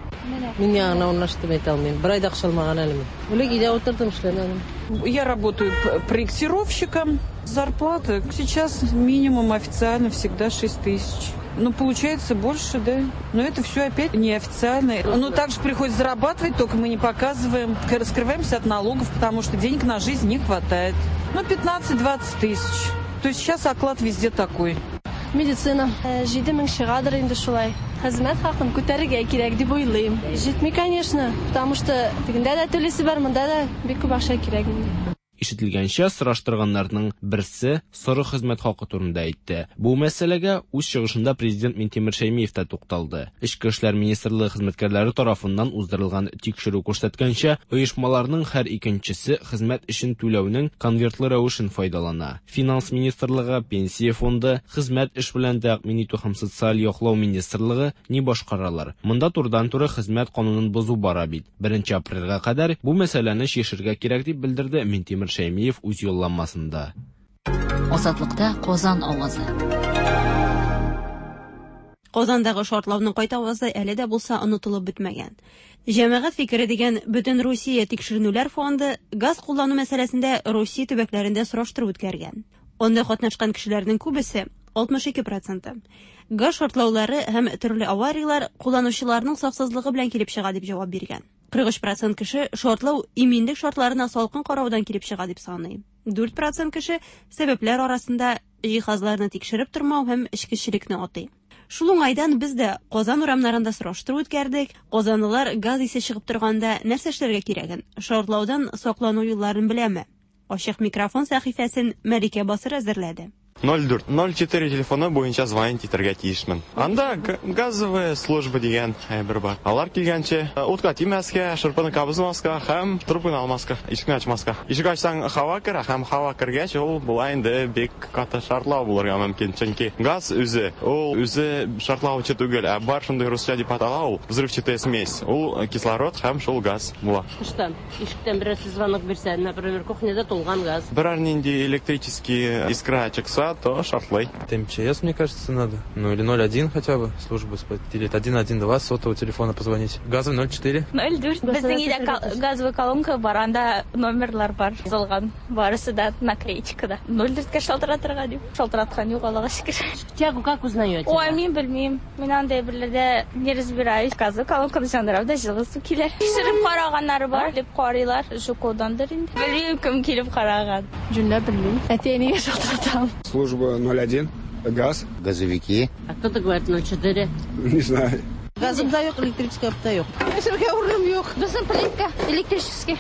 Мин яңа урнаштым әйтә алмыйм. Бер ай да акча алмаган әле мин. Элек өйдә утырдым, эшләмәдем. Я работаю проектировщиком. Зарплата сейчас минимум официально всегда шесть тысяч. Ну, получается больше, да. Но это все опять неофициально. Ну, также приходится зарабатывать, только мы не показываем. Раскрываемся от налогов, потому что денег на жизнь не хватает. Ну, пятнадцать-двадцать тысяч. То есть сейчас оклад везде такой. Медицина. Җиде мең чыгадыр инде шулай. Хезмәт хакын күтәрергә кирәк дип уйлыйм. Җитми, конечно, потому что тегендә дә түлисе бар, монда да бик күп акча кирәк инде. Ишетелгәнчә, сораштырганнарның берсе соры хезмәт хакы турында әйтте. Бу мәсьәләгә үз чыгышында президент Минтимер Шәймиев та тукталды. Эчке эшләр министрлыгы хезмәткәрләре тарафыннан уздырылган тикшерү күрсәткәнчә, оешмаларның һәр икенчесе хезмәт өчен түләүнең конвертлы рәвешен файдалана. Финанс министрлыгы, пенсия фонды, хезмәт эш белән тәэмин итү һәм социаль яклау министрлыгы ни башкаралар? Монда турыдан-туры хезмәт канунын бозу бара бит. Беренче апрельгә кадәр бу мәсьәләне чишергә кирәк дип белдерде Минтимер Шәймиев үз юлламасында. Азатлыкта Казан авазы. Казандагы шартлауның кайтавазы әле дә булса онытылып бетмәгән. Җәмәгать фикере дигән Бөтен Русия тикшеренүләр фонды газ куллану мәсьәләсендә Русия төбәкләрендә сораштыру үткәргән. Анда катнашкан кешеләрнең күбесе, алтмыш ике проценты, газ шартлаулары һәм төрле аварияләр кулланучыларның саксызлыгы белән килеп чыга дип җавап биргән. Кырык өч процент кеше шартлау иминлек шартларына салкын караудан килеп чыга дип саный. Дүрт процент кеше сәбәпләр арасында җиһазларны тикшереп тормау һәм эчкечелекне атый. Шул уңайдан без дә Казан урамнарында сораштыру үткәрдек. Казанлылар газ исе чыгып торганда нәрсә эшләргә кирәген, шартлаудан саклану юлларын беләме? Ачык микрофон сәхифәсен Мәликә Басыр әзерләде. ноль дүрт ноль четыре телефоны буенча звонить итәргә тиешмен. Анда газовая служба дигән әйбер бар. Алар килгәнче утка тимәскә, шырпыны кабызмаска һәм трубканы алмаска, ишекне ачмаска. Ишек ачсаң һава керә, һәм һава кергәч ул була инде бик каты шартлау булырга мөмкин. Чөнки газ үзе, ул үзе шартлаучы түгел, ә бар шундый русча дип атала ул взрывчатая смесь. Ул кислород һәм шул газ була. Тыштан, ишектән берәрсе звонок бирсә, например, кухняда тулган газ. Берәр нинди электрический искра чыкса, то шартлый. Это МЧС, мне кажется, надо. Ну или ноль один хотя бы, службу, или один один два сотового телефона позвонить. Газовый ноль четыре. ноль дүрт. Безнең өйдә газовый колонка бар, анда номерлар бар. Язылган. Барысы да наклеечкада. ноль дүрткә шалтыратырга дип. Шалтыраткан юк, Аллага шөкер. Тягу как узнаете? Ой, мин белмим. Мин андай берләрдә не разбираюсь. Газовый колонканы яндырам да җылы су килә. Тикшереп караганнары бар, дип карыйлар. Жукодандыр инде. Белмим, кем килеп караган. Җүнләп белмим. Әти-әнигә шалтыратам. Служба ноль один, газ. Газовики. А кто-то говорит ноль четыре. Не знаю. Газым да юк, электрический да юк. Яшәргә урыным юк. Безнең плитка электрический.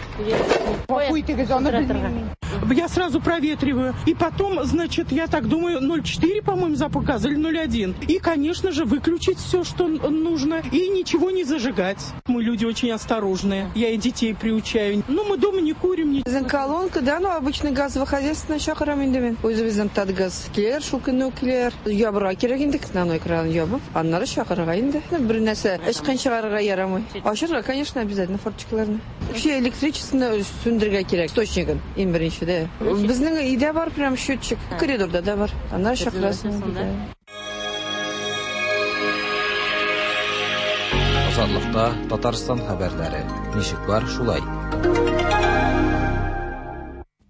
Я сразу проветриваю. И потом, значит, я так думаю, ноль четыре, по-моему, запах газа или ноль один. И, конечно же, выключить все, что нужно, и ничего не зажигать. Мы люди очень осторожные. Я и детей приучаю. Ну, мы дома не курим. Не... Колонка, да, ну, обычно газовый хозяйство чакырам инде мин. Үзебезнең Татгаз килер, шул көнне үк килер. Ябырга кирәк инде, основной кран ябып, аннары чакырырга инде. Бер нәрсә эчкән чыгарырга ярамый. Ачырга, конечно, обязательно форточкаларны. Вообще электричествоны сүндерергә кирәк, источнигын иң беренче дә. Безнең өйдә бар прям счетчик, коридорда да бар. Аннары чакырасың. Азатлыкта Татарстан хәбәрләре. Ничек бар, шулай.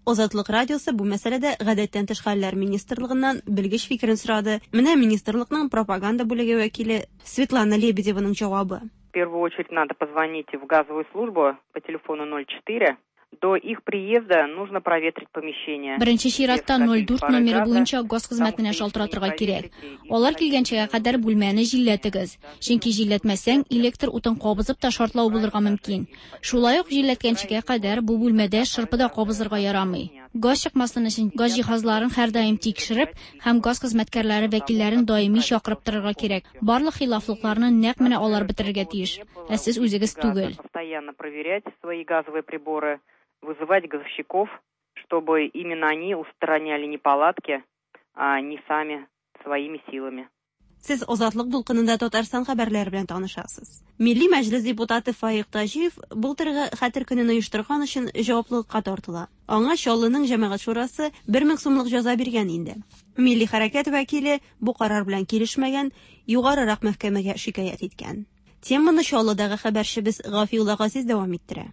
Азатлык радиосы бу мәсьәләдә гадәттән тыш хәлләр министрлыгыннан белгеч фикерен сорады. Менә министрлыкның пропаганда бүлеге вәкиле Светлана Лебедеваның җавабы. В первую очередь надо позвонить в газовую службу по телефону ноль четыре. До их приезда нужно проветрить помещение. Беренче чиратта ноль дүрт номеры буенча газ хезмәтенә шалтыратырга кирәк. Алар килгәнчегә кадәр бүлмәне җилләтегез. Чөнки җилләтмәсәң, электр утын кабызып та шартлау булырга мөмкин. Шулай ук җилләткәнчегә кадәр бу бүлмәдә шырпы да кабызырга ярамый. Газ чыкмасын өчен газ җиһазларын һәрдаим тикшереп һәм газ хезмәткәрләре вәкилләрен даими чакырып торырга кирәк. Барлык хилафлыкларны нәкъ менә алар бетерергә тиеш, ә сез үзегез түгел. Постоянно проверять свои газовые приборы, вызывать газовщиков, чтобы именно они устраняли неполадки, а не сами своими силами. Сез Азатлык дулкынында Татарстан хәбәрләре белән танышасыз. Милли Мәҗлес депутаты Фаик Таҗиев былтыргы Хәтер көнен оештырган өчен җаваплылыкка тартыла. Аңа Чаллының җәмәгать шурасы бер мең сумлык җәза биргән инде. Милли хәрәкәт вәкиле бу карар белән килешмәгән, югарырак мәхкәмәгә шикаять иткән. Теманы Чаллыдагы хәбәрчебез Гафиулла Газиз дәвам иттерә.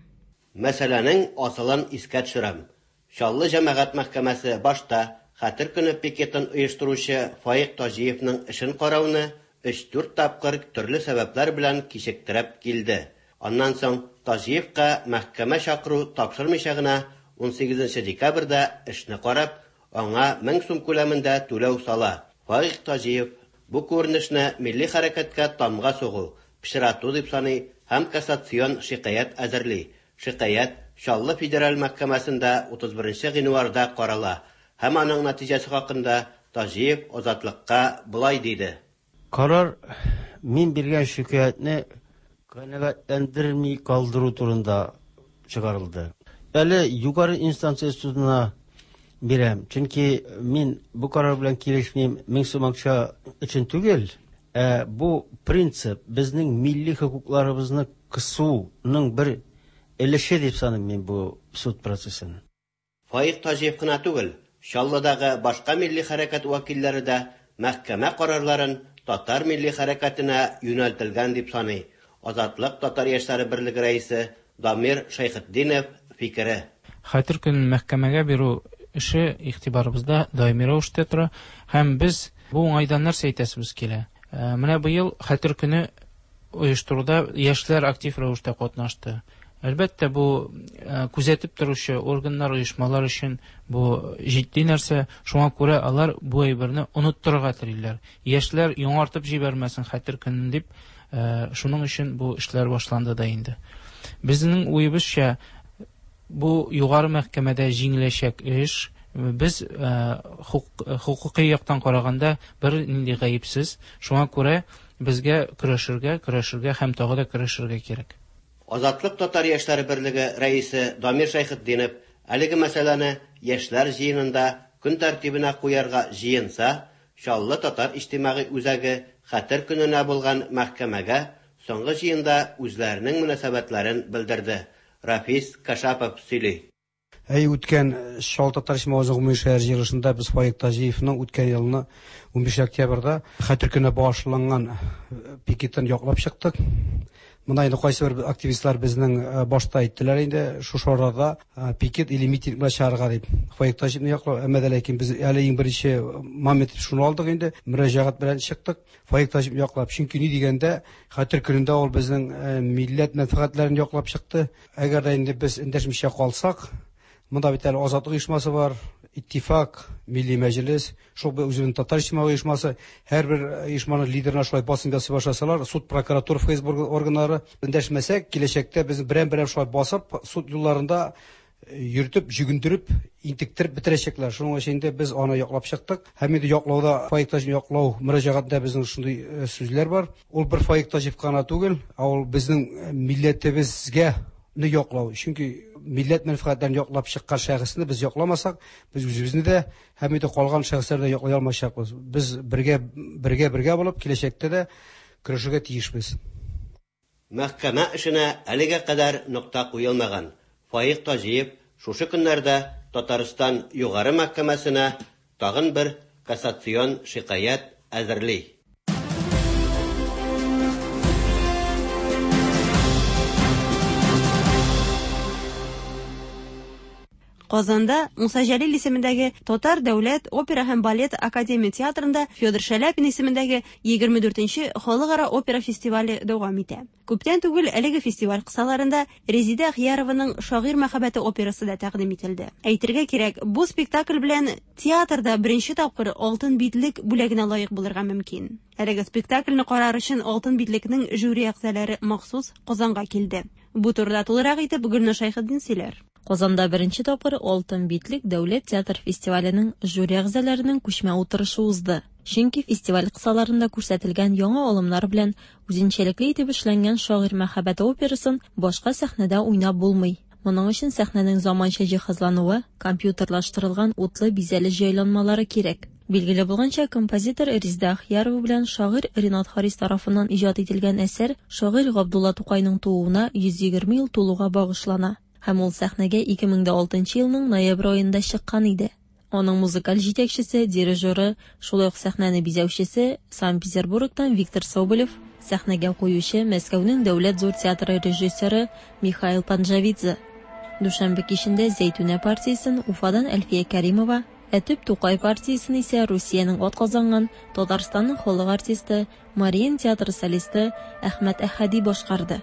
Мәсьәләнең асылын искә төшерәм. Чаллы җәмәгать мәхкәмәсе башта Хәтер көне пикетын оештыручы Фаик Таҗиевның эшен карауны өч-дүрт тапкыр төрле сәбәпләр белән кичектереп килде. Аннан соң Таҗиевка мәхкәмә чакыру тапшырмыйча гына унсигезенче декабрьдә эшне карап, аңа мең сум күләмендә түләү сала. Фаик Таҗиев бу күренешне милли хәрәкәткә тамга сугу, пычрату дип саный һәм кассацион шикаять әзерли. Шикаять Чаллы федераль мәхкәмәсендә утыз беренче гыйнварда карала һәм аның нәтиҗәсе хакында Таҗиев Азатлыкка болай диде. Карар мин биргән шикаятьне канәгатьләндерми калдыру турында чыгарылды. Әле югары инстанция судына бирәм, чөнки мин бу карар белән килешмим, мең сум акча өчен түгел, ә бу принцип безнең милли хокукларыбызны кысуның бер өлеше дип саныйм мин бу суд процессын. Фаик Таҗиев кына түгел, Чаллыдагы башка милли хәрәкәт вәкилләре дә мәхкәмә карарларын татар милли хәрәкәтенә юнәлтелгән дип саный. Азатлык татар яшьләре берлеге рәисе Дамир Шәйхетдинов фикере. Хәтер көнен мәхкәмәгә бирү эше игътибарыбызда даими рәвештә тора һәм без бу уңайдан нәрсә әйтәсебез килә. Менә быел Хәтер көне оештыруда яшьләр актив рәвештә катнашты. Әлбәттә, бу күзәтеп торучы органнар, оешмалар өчен бу җитди нәрсә. Шуңа күрә алар бу әйберне оныттырырга телиләр. Яшьләр яңартып җибәрмәсен Хәтер көнен дип, шуның өчен бу эшләр башланды да инде. Безнең уебызча, бу югары мәхкәмәдә җиңеләчәк эш. Без хукукый яктан караганда бер нинди гаепсез. Шуңа күрә безгә көрәшергә, көрәшергә һәм тагы да көрәшергә кирәк. Азатлык татар яшьләре берлеге рәисе Дамир Шәйхетдинов әлеге мәсьәләне яшьләр җыенында көн тәртибенә куярга җыенса, Чаллы татар иҗтимагый үзәге Хәтер көненә булган мәхкәмәгә соңгы җыенда үзләренең мөнәсәбәтләрен белдерде. Рафис Кашапов сөйли. Әй, үткән Чаллы татар иҗтимагый үзәге гомуми шәһәр җыелышында без Фаик Таҗиевның үткән елны унбиш октябрьдә Хәтер көненә багышланган пикетын яклап чыктык. Монда инде кайсы бер активистлар безнең башта әйттеләр инде шушы арада пикет или митинг белән чыгарга дип. Фаик Таҗиевны яклап, әмма дә ләкин без әле иң беренче момент шуны алдык инде, мөрәҗәгать белән чыктык. Фаик Таҗиевны яклап, чөнки ни дигәндә Хәтер көнендә ул безнең милләт мәнфәгатьләрен яклап чыкты. Әгәр дә инде без эндәшмичә калсак, монда бит әле Азатлык оешмасы бар, Иттифак, Милли Мәҗлес, шул үзенең татар иҗтимагый оешмасы, һәрбер оешманың лидерына шулай басым ясый башласалар, суд, прокуратура, Ф С Б органнары эндәшмәсәк, киләчәктә без берәм-берәм шулай басып, суд юлларында йөртеп, җөгендереп, интектереп бетерәчәкләр. Шуның өчен инде без аны яклап чыктык. Һәм инде яклауда Фаик Таҗиев яклау мөрәҗәгатендә безнең шундый сүзләр бар. Ул бер Фаик Таҗиев кына түгел, ә ул безнең милләтебезгә не яклау. Чөнки милләт мәнфәгатьләрен яклап чыккан шәхесне без якламасак, без үзебезне дә һәм инде калган шәхесләрне дә яклый алмаячакбыз. Без бергә, бергә, бергә булып киләчәктә дә көрәшергә тиешбез. Мәхкәмә эшенә әлегә кадәр нокта куелмаган. Фаик Таҗиев шушы көннәрдә Татарстан Югары мәхкәмәсенә тагын бер кассацион шикаять әзерли. Казанда Муса Җәлил исемендәге Татар дәүләт опера һәм балет академия театрында Федор Шаляпин исемендәге егерме дүртенче халыкара опера фестивале дәвам итә. Күптән түгел әлеге фестиваль кысаларында Резеда Ахиярованың Шагыйрь мәхәббәте операсы да тәкъдим ителде. Әйтергә кирәк, бу спектакль белән театрда беренче тапкыр Алтын битлек бүләгенә лаек булырга мөмкин. Әлеге спектакльне карар өчен Алтын битлекнең жюри әгъзалары махсус Казанга килде. Бу турыда тулырак итеп Гөлнур Шәйхетдин сөйләр. Казанда беренче тапкыр Алтын битлек дәүләт театр фестиваленең жюри әгъзаларының күчмә утырышы узды. Чөнки фестиваль кысаларында күрсәтелгән яңа алымнар белән үзенчәлекле итеп эшләнгән Шагыйрь мәхәббәте операсын башка сәхнәдә уйнап булмый. Моның өчен сәхнәнең заманча җиһазлануы, компьютерлаштырылган утлы бизәле җайланмалары кирәк. Билгеле булганча, композитор Резеда Ахиярова белән шагыйрь Ренат Харис тарафыннан иҗат ителгән әсәр шагыйрь Габдулла Тукайның тууына йөз егерме ел тулуга багышлана. Һәм ул сәхнәгә ике мең дә алтынчы елның ноябрь аенда чыккан иде. Аның музыкаль җитәкчесе, дирижеры, шулай ук сәхнәне бизәүчесе Санкт-Петербургтан Виктор Соболев, сәхнәгә куючы Мәскәүнең дәүләт зур театры режиссеры Михаил Панджавидзе. Дүшәмбе кичендә Зәйтүнә партиясен Уфадан Әлфия Кәримова, Ә төп Тукай партиясен исә Русиянең атказанган Татарстанның халык артисты, Мариин театры солисты Әхмәт Әхәди башкарды.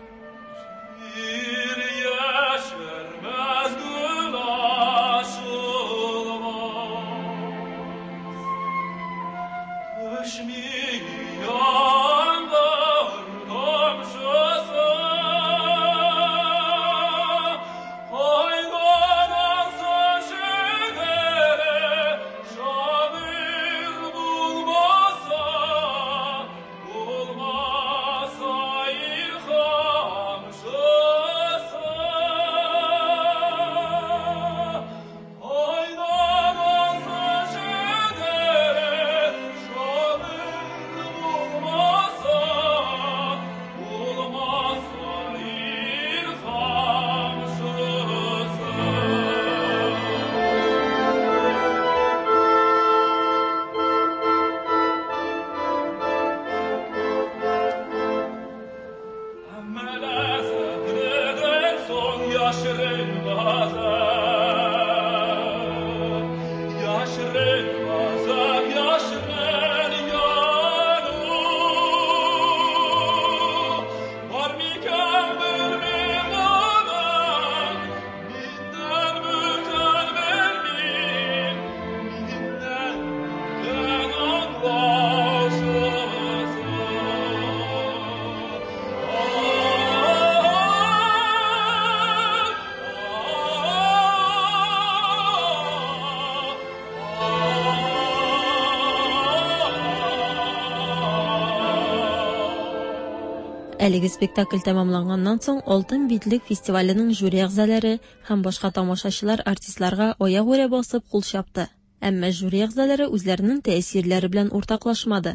Әлеге спектакль тәмамланганнан соң Алтын битлек фестиваленең жюри әгъзалары һәм башка тамашачылар артистларга аягүрә басып кул чапты. Әмма жюри әгъзалары үзләренең тәэсирләре белән уртаклашмады.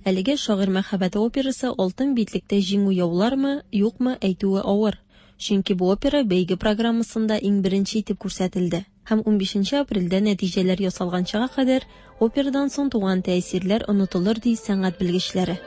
Әлеге Шагыйрь мәхәббәте операсы Алтын битлектә җиңү яулармы, юкмы әйтүе авыр. Чөнки бу опера бәйге программасында иң беренче итеп күрсәтелде. Һәм унбишенче апрельдә нәтиҗәләр ясалганчага кадәр операдан соң туган тәэсирләр онытылыр ди сәнгать белгечләре.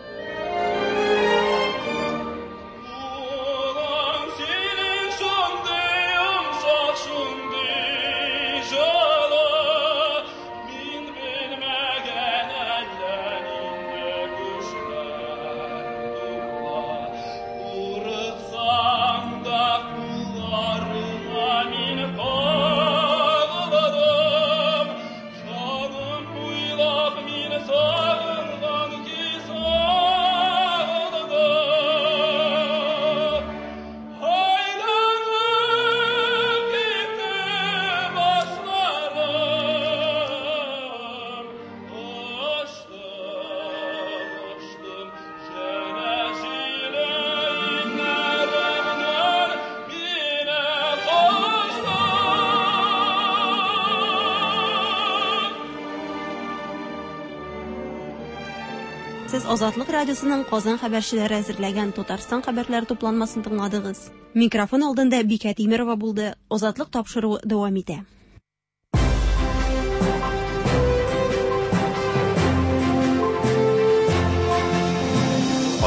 Сез Азатлык радиосының Казан хәбәрчеләре әзерләгән Татарстан хәбәрләре тупланмасын тыңладыгыз. Микрофон алдында Бикә Тимирова булды. Азатлык тапшыруы дәвам итә.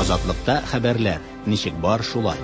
Азатлыкта хәбәрләр ничек бар шулай.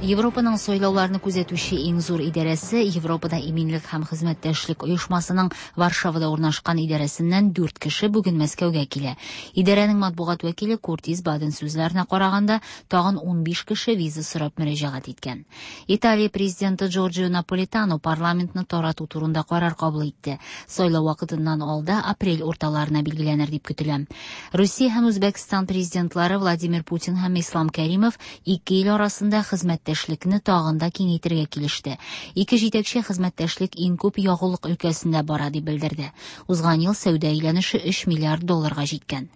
Европаның сайлауларны күзәтүче иң зур идарәсе Европада иминлек һәм хезмәттәшлек оешмасының Варшавада урнашкан идарәсеннән дүрт кеше бүген Мәскәүгә килә. Идарәнең матбугат вәкиле Куртис Баден сүзләренә караганда, тагын унбиш кеше виза сорап мөрәҗәгать иткән. Италия президенты Джорджио Наполитано парламентны тарату турында карар кабул итте. Сайлау вакытыннан алда апрель урталарына билгеләнер дип көтелә. Русия һәм Үзбәкстан президентлары Владимир Путин һәм Ислам Кәримов ике ил арасында хезмәттәшлекне тагын да киңәйтергә килеште. Ике җитәкче хезмәттәшлек иң күп ягулык өлкәсендә бара дип белдерде. Узган ел сәүдә әйләнеше өч миллиард долларга җиткән.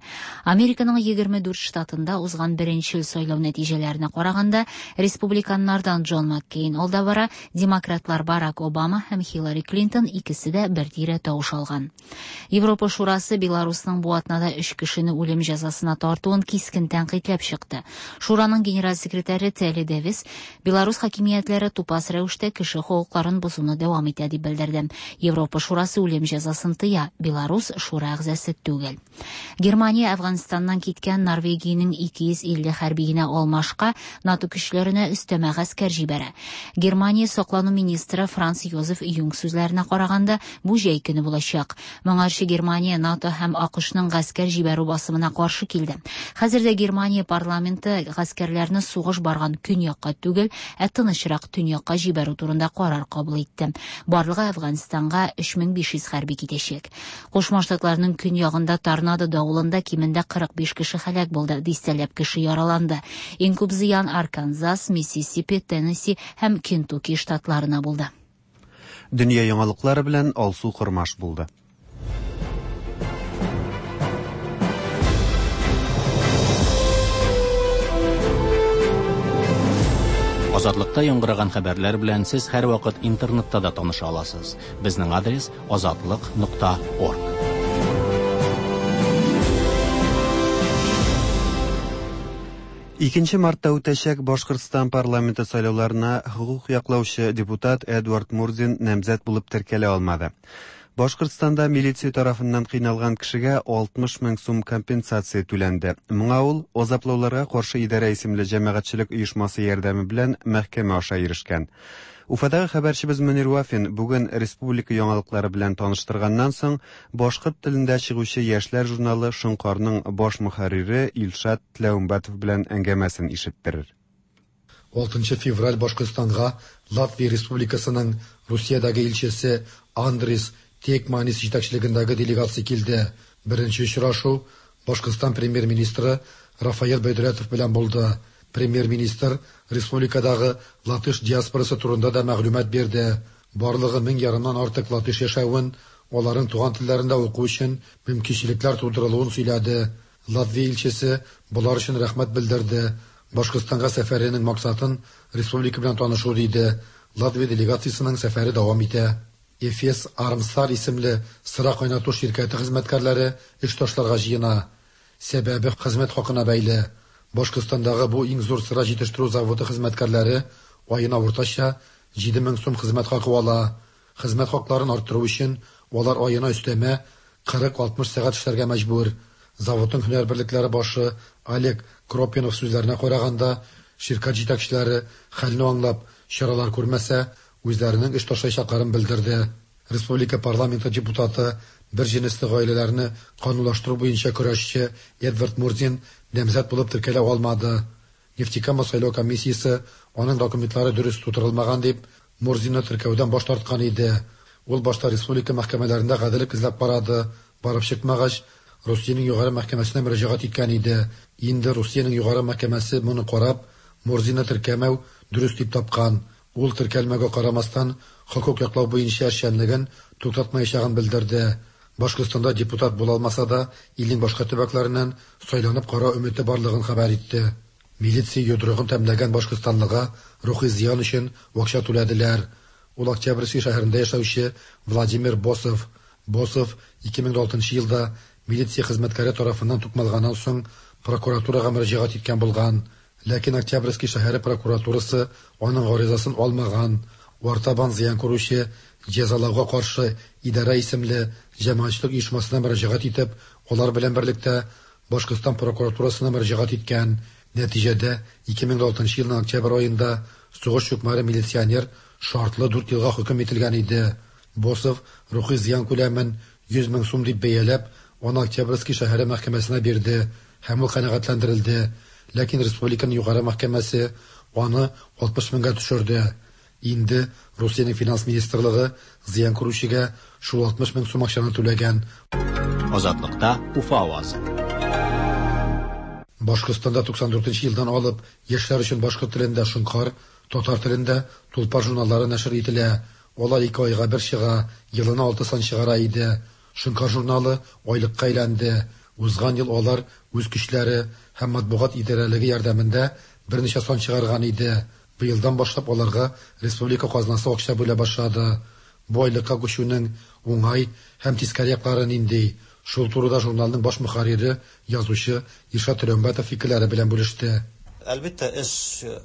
Американың егерме дүрт штатында узган беренче сайлау нәтиҗәләренә караганда, республиканнардан Джон Маккейн алда бара, демократлар Барак Обама һәм Хиллари Клинтон икесе дә бер тирә тавыш алган. Европа Шурасы Беларусның бу атнада өч кешене үлем җәзасына тартуын кискен тәнкыйтьләп чыкты. Шураның генераль секретаре Телли Дэвис Беларус хакимиятләре тупас рәвештә кеше хокукларын бозуны дәвам итә дип белдерде. Европа Шурасы үлем җәзасын тыя. Беларус шура әгъзасы түгел. Германия Әфганстаннан киткән Норвегиянең ике йөз илле хәрбиенә алмашка НАТО көчләренә өстәмә гаскәр җибәрә. Германия саклану министры Франц Йозеф Юнг сүзләренә караганда, бу җәй көне булачак. Моңарчы Германия НАТО һәм АКШның гаскәр җибәрү басымына каршы килде. Хәзер дә Германия парламенты гаскәрләрне сугыш барган көньякка түгел, ә тынычрак төньякка җибәрү турында карар кабул итте. Барлыгы Әфганстанга өч мең биш йөз хәрби китәчәк. Кушма Штатларның көньягында торнадо давылында кимендә кырык биш кеше һәлак булды, дистәләп кеше яраланды. Иң күп зыян Арканзас, Миссисипи, Теннесси һәм Кентукки штатларына булды. Дөнья яңалыклары белән Алсу Кормаш булды. Азатлыкта яңгыраган хәбәрләр белән сез һәрвакыт интернетта да таныша аласыз. Безнең адрес азатлык нокта орг. Икенче мартта үтәчәк Башкортстан парламенты сайлауларына хокук яклаучы депутат Эдуард Мурзин намзәт булып теркәлә алмады. Башкортстанда милиция тарафыннан кыйналган кешегә алтмыш мең сум компенсация түләнде. Моңа ул азаплауларга каршы идарә исемле җәмәгатьчелек оешмасы ярдәме белән мәхкәмә аша ирешкән. Уфадагы хәбәрчебез Мөнир Вафин бүген республика яңалыклары белән таныштырганнан соң башкорт телендә чыгучы яшьләр журналы Шоңкарның баш мөхәррире Илшат Тләүмбәтов белән әңгәмәсен ишеттерер. Алтынчы февраль Башкортстанга Латвия Республикасының Русиядәге илчесе Андрис Текманис җитәкчелегендәге делегация килде. Беренче очрашу Башкортстан премьер-министры Рафаэль Бәйдүләтов белән булды. Премьер-министр республикадагы латыш диаспорасы турында да мәгълүмат бирде. Барлыгы мең ярымнан артык латыш яшәвен, аларның туган телләрендә уку өчен мөмкинчелекләр тудырылуын сөйләде. Латвия илчесе болар өчен рәхмәт белдерде. Башкортстанга сәфәренең максатын республика белән танышу диде. Латвия делегациясенең сәфәре дәвам итә. Эфес Армстар исемле сыра кайнату ширкәте хезмәткәрләре эш ташларга җыена. Сәбәбе хезмәт хакына бәйле. Башкортстандагы бу иң зур сыра җитештерү заводы хезмәткәрләре аена уртача җиде мең сум хезмәт хакы ала. Хезмәт хакларын арттыру өчен алар аена өстәмә кырык-алтмыш сәгать эшләргә мәҗбүр. Заводның һөнәр берлекләре башы Олег Кропинов сүзләренә караганда, ширкәт җитәкчеләре хәлне аңлап, чаралар күрмәсә, үзләренең эш ташлаячакларын белдерде. Республика парламенты депутаты, бер җенесле гаиләләрне канунлаштыру буенча көрәшче Эдвард Мурзин намзәт булып теркәлә алмады. Нефтекама сайлау комиссиясе аның документлары дөрес тутырылмаган дип Мурзинны теркәүдән баш тарткан иде. Ул башта республика мәхкәмәләрендә гаделлек эзләп карады, барып чыкмагач, Русиянең югары мәхкәмәсенә мөрәҗәгать иткән иде. Инде Русиянең югары мәхкәмәсе моны карап, Мурзинны теркәмәү дөрес дип тапкан. Ул теркәлмәгә карамастан, хокук яклау буенча эшчәнлеген туктатмаячагын белдерде. Башкортстанда депутат була алмаса да, илнең башка төбәкләреннән сайланып карау өмете барлыгын хәбәр итте. Милиция йодрыгын тәмләгән башкортстанлыга рухи зыян өчен акча түләделәр. Ул Октябрьский шәһәрендә яшәүче Владимир Босов. Босов ике мең алтынчы елда милиция хезмәткәре тарафыннан тукмалганнан соң прокуратурага мөрәҗәгать иткән булган. Ләкин Октябрьский шәһәре прокуратурасы аның гаризасын алмаган. Артабан зыян күрүче җәзалауга каршы идарә исемле җәмәгатьчелек оешмасына мөрәҗәгать итеп, алар белән берлектә Башкортстан прокуратурасына мөрәҗәгать иткән. Нәтиҗәдә ике мең алтынчы елның октябрь аенда сугыш чукмары милиционер шартлы дүрт елга хөкем ителгән иде. Босов рухи зыян күләмен йөз мең сум дип бәяләп, аны Октябрьский шәһәре мәхкәмәсенә бирде һәм ул канәгатьләндерелде. Ләкин республиканың югары мәхкәмәсе аны алтмыш меңгә төшерде. Инде Русиянең финанс министрлыгы зыян күрүчегә шул алтмыш мең сум акчаны түләгән. Азатлыкта Уфа авазы. Башкортстанда туксан дүртенче елдан алып яшьләр өчен башкорт телендә Шоңкар, татар телендә Тулпар журналлары нәшер ителә. Алар ике айга бер чыга, елына алты сан чыгара иде. Шоңкар журналы айлыкка әйләнде. Узган ел алар үз көчләре һәм матбугат идарәлеге ярдәмендә берничә сан чыгарган иде. Быелдан башлап аларга республика казнасы акча бүлә башлады. Бу айлыкка күчүнең уңай һәм тискәре яклары нинди? Шул турыда журналның баш мөхәррире, язучы Илшат Тләүмбәтов фикерләре белән бүлеште. Әлбәттә, эш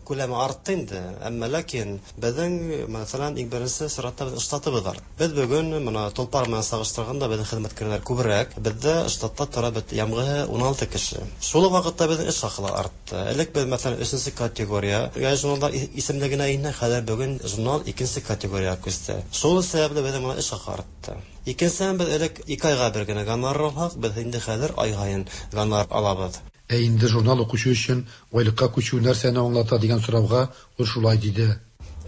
күләме артты инде, әмма ләкин безнең, мәсәлән, иң беренче чиратта безнең штатыбыз артты. Без бүген менә Толпар белән чагыштырганда безнең хезмәткәрләр күбрәк. Бездә штатта тора бит ямгы ун алты кеше. Шул ук вакытта безнең эш хакы артты. Элек без, мәсәлән, өченче категория журналдар исемлегенә инде, хәзер бүген журнал икенче категориягә күчте. Шул сәбәпле безнең менә эш хакы артты. Икенчедән, без элек ике айга бер генә гонорар алсак, без инде хәзер ай һаен гонорар алабыз. Ә инде журнал укучы өчен айлыкка күчү нәрсәне аңлата дигән сорауга ул шулай диде.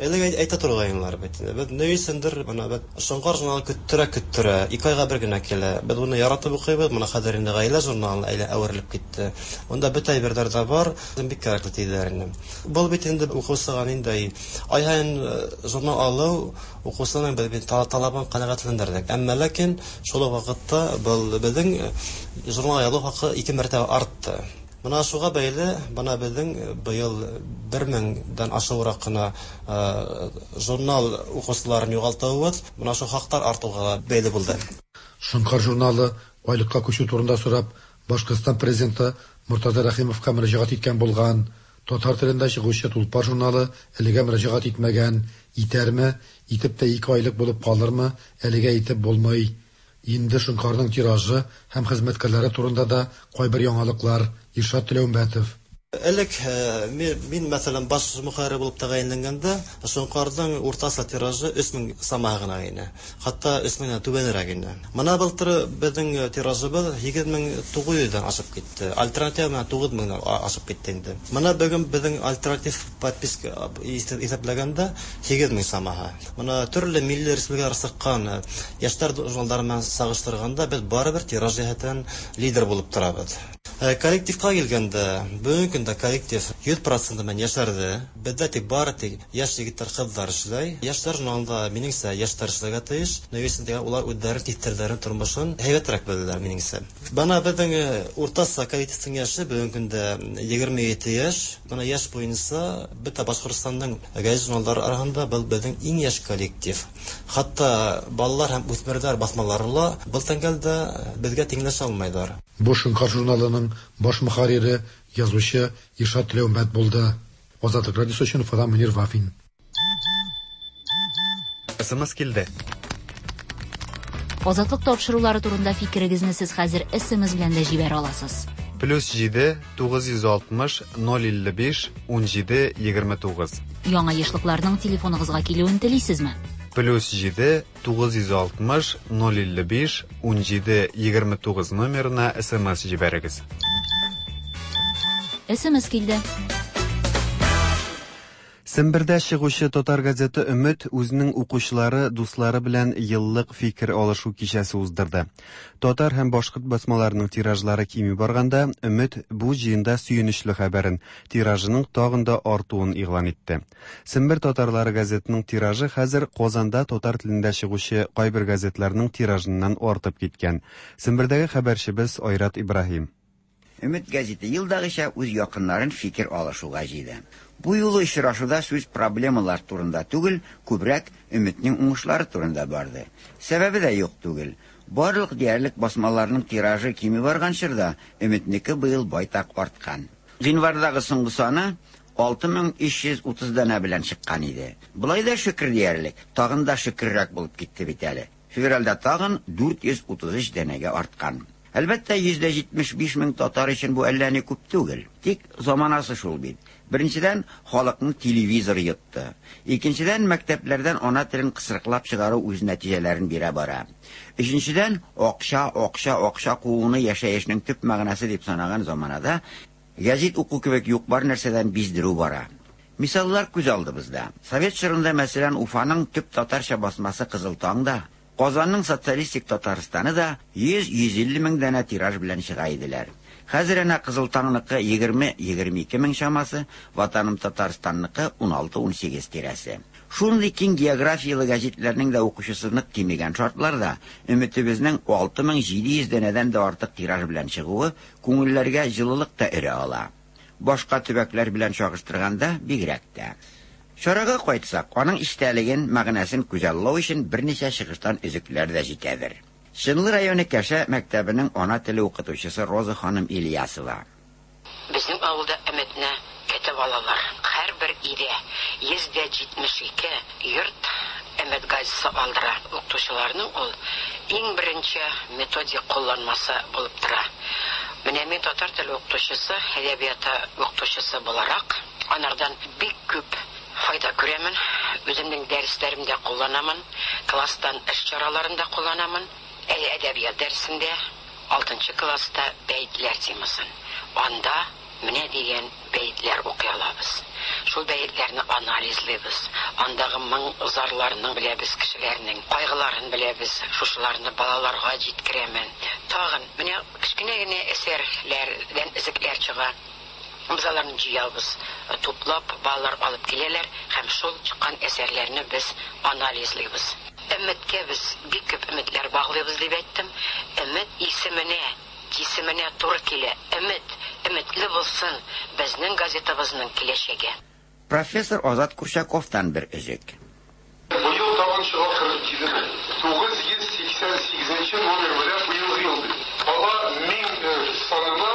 Элек әйтә торгайнлар бит. Без ни өчендер менә без Шоңкар журналы көттерә көттерә, ике айга бер генә килә. Без моны яратып укыйбыз, моны хәзер инде гаилә журналына әйлә әверелеп китте. Монда бөтә әйберләр дә бар, бик кирәкле диделәр инде. Бу бит инде укучыга инде ай һаен журнал алу укучының без бит талабын канәгатьләндердек. Әмма ләкин шул ук вакытта был безнең журнал алу хакы ике мәртәбә артты. Мына шуға бәйле, бына безнең быел бер меңдән ашыграк кына журнал укучыларын югалтуыбыз, мына шу хаклар артуга бәйле булды. Шоңкар журналы айлыкка күчү турында сорап, Башкортстан президенты Муртаза Рәхимовка мөрәҗәгать иткән булган. Татар телендә чыгучы Тулпар журналы әлегә мөрәҗәгать итмәгән. Итәрме, итеп тә ике айлык булып калырмы, әлегә итеп булмый. Инде Шоңкарның тиражы һәм хезмәткәрләре турында да кайбер яңалыклар. Иршат Теләүмбәтов. Элек мин, мәсәлән, баш мөхәррир булып тәгаенләнгәндә, Шоңкарның уртача тиражы өч мең сама гына иде. Хәтта өч меңнән түбәнрәк иде. Мына былтыр безнең тиражыбыз һигез мең тугыз йөздән ашып китте. Альтернатив менә тугыз меңнән ашып китте инде. Мына бүген безнең альтернатив подписка исәпләгәндә һигез мең самаһы. Мына төрле милли республикалар чыккан яшьләр журналлары белән чагыштырганда без барыбер тираж җәһәтеннән лидер булып торабыз. Коллективка килгәндә, бүгенге көндә коллектив йөз процент белән яшәрде. Бездә тик бары тик яшь егетләр, кызлар эшләй. Яшьләр журналында минеңчә яшьләр эшләргә тиеш. Ни өчен дигән, улар үзләре типтерләрен тормышын һәйбәтрәк беләләр минеңчә. Бана безнең уртача коллективның яше бүгенге көндә егерме ете яшь. Бына яшь буенча бөтә Башкортстанның гәзит журналлары арасында был безнең иң яшь коллектив. Хәтта балалар һәм үсмерләр басмалары ла был тәңгәлдә безгә тиңләшә алмыйлар. Бу Шоңкар журналының баш мөхәррире, язучы Иршат Теләүмбәт булды. Азатлык радиосы өчен Уфадан Мөнир Вафин. СМС килде. Азатлык тапшырулары турында фикерегезне сез хәзер СМС белән дә җибәрә аласыз. Плюс җиде тугыз йөз алтмыш ноль илле биш ун җиде егерме тугыз. Яңа ешлыкларның телефоныгызга килүен телисезме? Плюс җиде тугыз йөз алтмыш ноль илле биш ун җиде егерме тугыз номерына СМС җибәрегез. СМС килде. Сембердә чыгучы татар газеты Өмет үзенең укучылары, дуслары белән еллык фикер алышу кичәсе уздырды. Татар һәм башкорт басмаларының тиражлары кими барганда, Өмет бу җыенда сөенечле хәбәрен, тиражының тагын да артуын игълан итте. Сембер татарлары газетының тиражы хәзер Казанда татар телендә чыгучы кайбер газетларның тиражыннан артып киткән. Сембердәге хәбәрчебез Айрат Ибраһим. Өмет газеты елдагыча үз якыннарын фикер алышуга җыйды. Бу юлы очрашуда сүз проблемалар турында түгел, күбрәк Өметнең уңышлары турында барды. Сәбәбе дә юк түгел. Барлык диярлек басмаларның тиражы кими барган чорда Өметнеке быел байтак арткан. Гыйнвардагы соңгы саны алты мең өч йөз утыз данә белән чыккан иде. Болай да шөкер диярлек, тагын да шөкеррәк булып китте бит әле. Февральдә тагын дүрт йөз утыз өч данәгә арткан. Әлбәттә, йөз дә җитмеш биш мең татар өчен бу әллә ни күп түгел. Тик заманасы шул бит. Беренчедән, халыкны телевизор йотты. Икенчедән, мәктәпләрдән ана телен кысрыклап чыгару үз нәтиҗәләрен бирә бара. Өченчедән, акча, акча, акча кууны яшәешнең төп мәгънәсе дип санаган заманада гәзит уку кебек юк бар нәрсәдән биздерү бара. Мисаллар күз алдыбызда. Совет чорында, мәсәлән, Уфаның төп татарча басмасы Кызыл таң да, Казанның социалистик Татарстаны да йөз, йөз илле мең данә тираж белән чыга иделәр. Хәзер әнә Кызыл таңныкы егерме, егерме ике мең чамасы, Ватаным Татарстанныкы ун алты, ун сигез тирәсе. Шундый киң географиялы гәзитләрнең дә укучысы нык кимегән шартларда Өметебезнең алты мең җиде йөз данәдән дә артык тираж белән чыгуы күңелләргә җылылык та өрә ала. Башка төбәкләр белән чагыштырганда бигрәк тә. Чарага кайтсак, аның истәлеген, мәгънәсен күзаллау өчен берничә чыгыштан өзекләр дә җитәдер. Чынлы районы Кәшә мәктәбенең ана теле укытучысы Роза ханым Ильясова. Безнең авылда Өметне Көтеп алалар. Һәрбер өйдә йөз дә җитмеш ике йорт Өмет газетасы алдыра. Укытучыларның ул иң беренче методик кулланмасы булып тора. Менә мин татар теле укытучысы, әдәбияты укытучысы буларак, анардан бик күп файда күрәмен. Үземнең дәресләремдә кулланамын, класстан эш чараларында кулланамын. Әле әдәбият дәресендә алтынчы класста бәетләр темасын. Анда менә дигән бәетләр укый алабыз. Шул бәетләрне анализлыйбыз. Андагы моң зарларны беләбез, кешеләрнең кайгыларын беләбез. Шушыларны балаларга җиткерәмен. Тагын менә кечкенә генә әсәрләрдән өзекләр чыга. Без аларны җыябыз, туплап балалар алып киләләр һәм шул чыккан әсәрләрне без анализлыйбыз. Өметкә без бик күп өметләр баглыйбыз дип әйттем. Өмет исеменә, исеменә туры килә. Өмет, өметле булсын безнең газетабызның киләчәге. Профессор Азат Курчаковтан бер өзек. Быел тагын чыга кырык җиде мең. Тугыз йөз сиксән сигезенче номер белән быелгы ел бит. Кала мең санына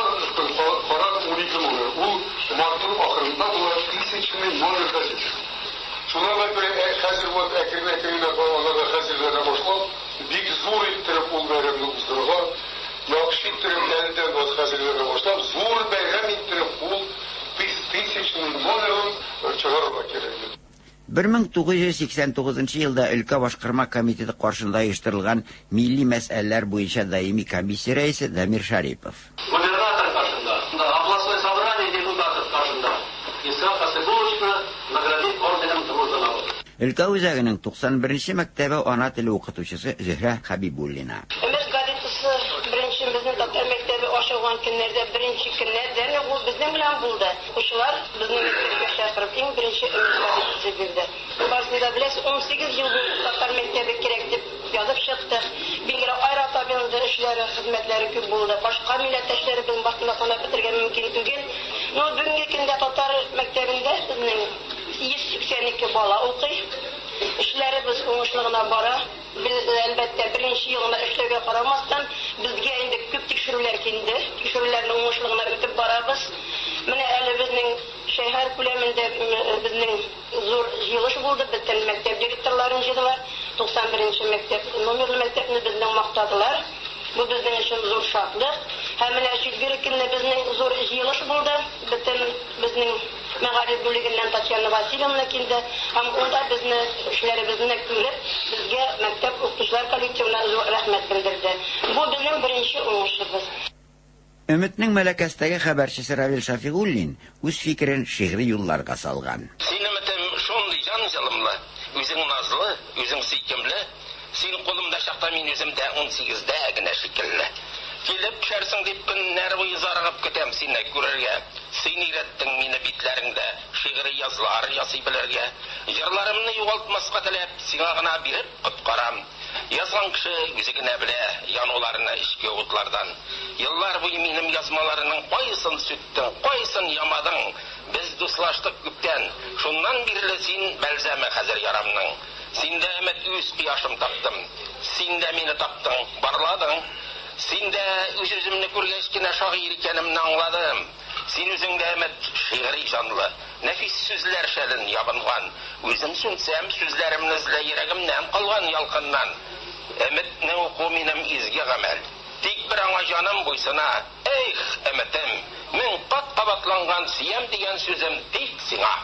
карап унике номер. Ул мартның ахырында була тысячный номер газеты. Шуңа күрә хәзер вот әкрен-әкрен аларга хәзерләнә башлап, бик зур иттереп ул бәйрәмне уздырырга, яхшы иттереп әледән вот хәзерләнә башлап, зур бәйрәм иттереп ул тысячный номерын чыгарырга кирәк. бер мең тугыз йөз сиксән тугызынчы елда өлкә башкарма комитеты каршында оештырылган милли мәсьәләләр буенча даими комиссия рәисе Дамир Шарипов. Губернатор каршында, областной собрание депутатов каршында Исхак Хасибулловичны наградить орденом Дружбы народа. Өлкә үзәгенең туксан беренче мәктәбе ана теле укытучысы Зөһрә Хабибуллина. Өмет газетасы беренче безнең татар мәктәбе ачылган көннәрдә беренче көннәрдән ул безнең белән булды. Укучылар безнең мәктәпкә чакырып иң беренче Өмет газетасы бирде. Барысын да беләсез, ун сигез ел буе татар мәктәбе кирәк дип язып чыктык. Билгеле, Айрат абыйның да эшләре, хезмәтләре күп булды. Башка милләттәшләребезнең башына санап бетергән мөмкин түгел. Но бүгенге көндә татар мәктәбендә безнең йөз сиксән ике бала укый. Эшләребез уңышлы гына бара. Без әлбәттә беренче елына эшләүгә карамастан безгә инде күп тикшерүләр килде. Тикшерүләрне уңышлы гына үтеп барабыз. Менә әле безнең шәһәр күләмендә безнең зур җыелыш булды. Бөтен мәктәп директорларын җыйдылар. туксан беренче мәктәп номерлы мәктәпне безнең мактадылар. Бу безнең өчен зур шатлык. Һәм менә четверг көнне безнең зур җыелыш булды. Бөтен безнең мәгариф бүлегеннән Татьяна Васильевна килде. Һәм ул да безне эшләребезне күреп, безгә мәктәп укытучылар коллективына зур рәхмәт белдерде. Бу безнең беренче уңышыбыз. Өметнең Мәләкәстәге хәбәрчесе Равил Шафигуллин үз фикерен шигъри юлларга салган. Син өметем шундый җан җылымлы, үзең назлы, үзең сөйкемле. Син кулымда чакта мин үзем дә ун сигездә генә шикелле. Килеп төшәрсең дип көннәр буе зарыгып көтәм сине күрергә. Син өйрәттең мине битләреңдә шигъри язлар ясый белергә. Җырларымны югалтмаска теләп, сиңа гына биреп коткарам. Язган кеше үзе генә белә януларны эчке утлардан. Еллар буе минем язмаларының кайсын сүттең, кайсын ямадың. Без дуслаштык күптән. Шуннан бирле син бәлзәме хәзер ярамның. Синдә өмет үз кояшым таптым. Син дә мине таптың, барладың. Син дә үз-үземне күргәч кенә шагыйрь икәнемне аңладым. Син үзең дә өмет шигъри җанлы, нәфис сүзләр шәлен ябынган. Үзем сүнсәм, сүзләремне эзлә йөрәгемнән калган ялкыннан. Өметне уку минем изге гамәл. Тик бер аңа җаным буйсына. Эх, өметем, мең кат кабатланган сөям дигән сүзем тик сиңа.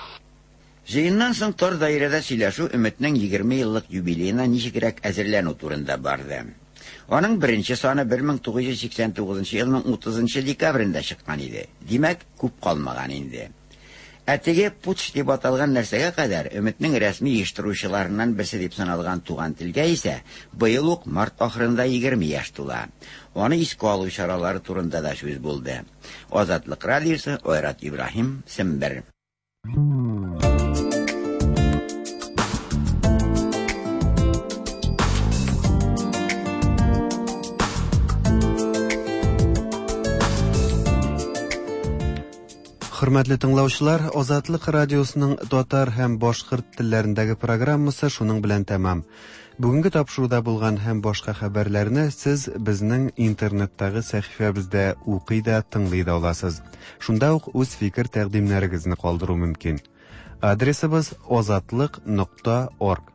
Җыеннан соң тар даирәдә сөйләшү Өметнең егерме еллык юбилеена ничегрәк әзерләнү турында барды. Аның беренче саны бер мең тугыз йөз сиксән тугызынчы елның утызынчы декабрендә чыккан иде. Димәк, күп калмаган инде. Ә теге путч дип аталган нәрсәгә кадәр Өметнең рәсми оештыручыларыннан берсе дип саналган Туган телгә исә быел ук март ахырында егерме яшь тула. Аны искә алу чаралары турында да сүз булды. Азатлык радиосы, Айрат Ибраһим, Сембер. Хөрмәтле тыңлаучылар, Азатлык радиосының татар һәм башкорт телләрендәге программасы шуның белән тәмам. Бүгенге тапшыруда булган һәм башка хәбәрләрне сез безнең интернеттагы сәхифәбездә укый да, тыңлый да аласыз. Шунда ук үз фикер тәкъдимнәрегезне калдыру мөмкин. Адресыбыз озатлык нокта орг.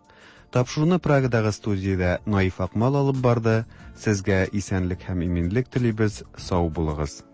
Тапшыруны Прагадагы студиядә Наиф Акмал алып барды. Сезгә исәнлек һәм иминлек телибез. Сау булыгыз.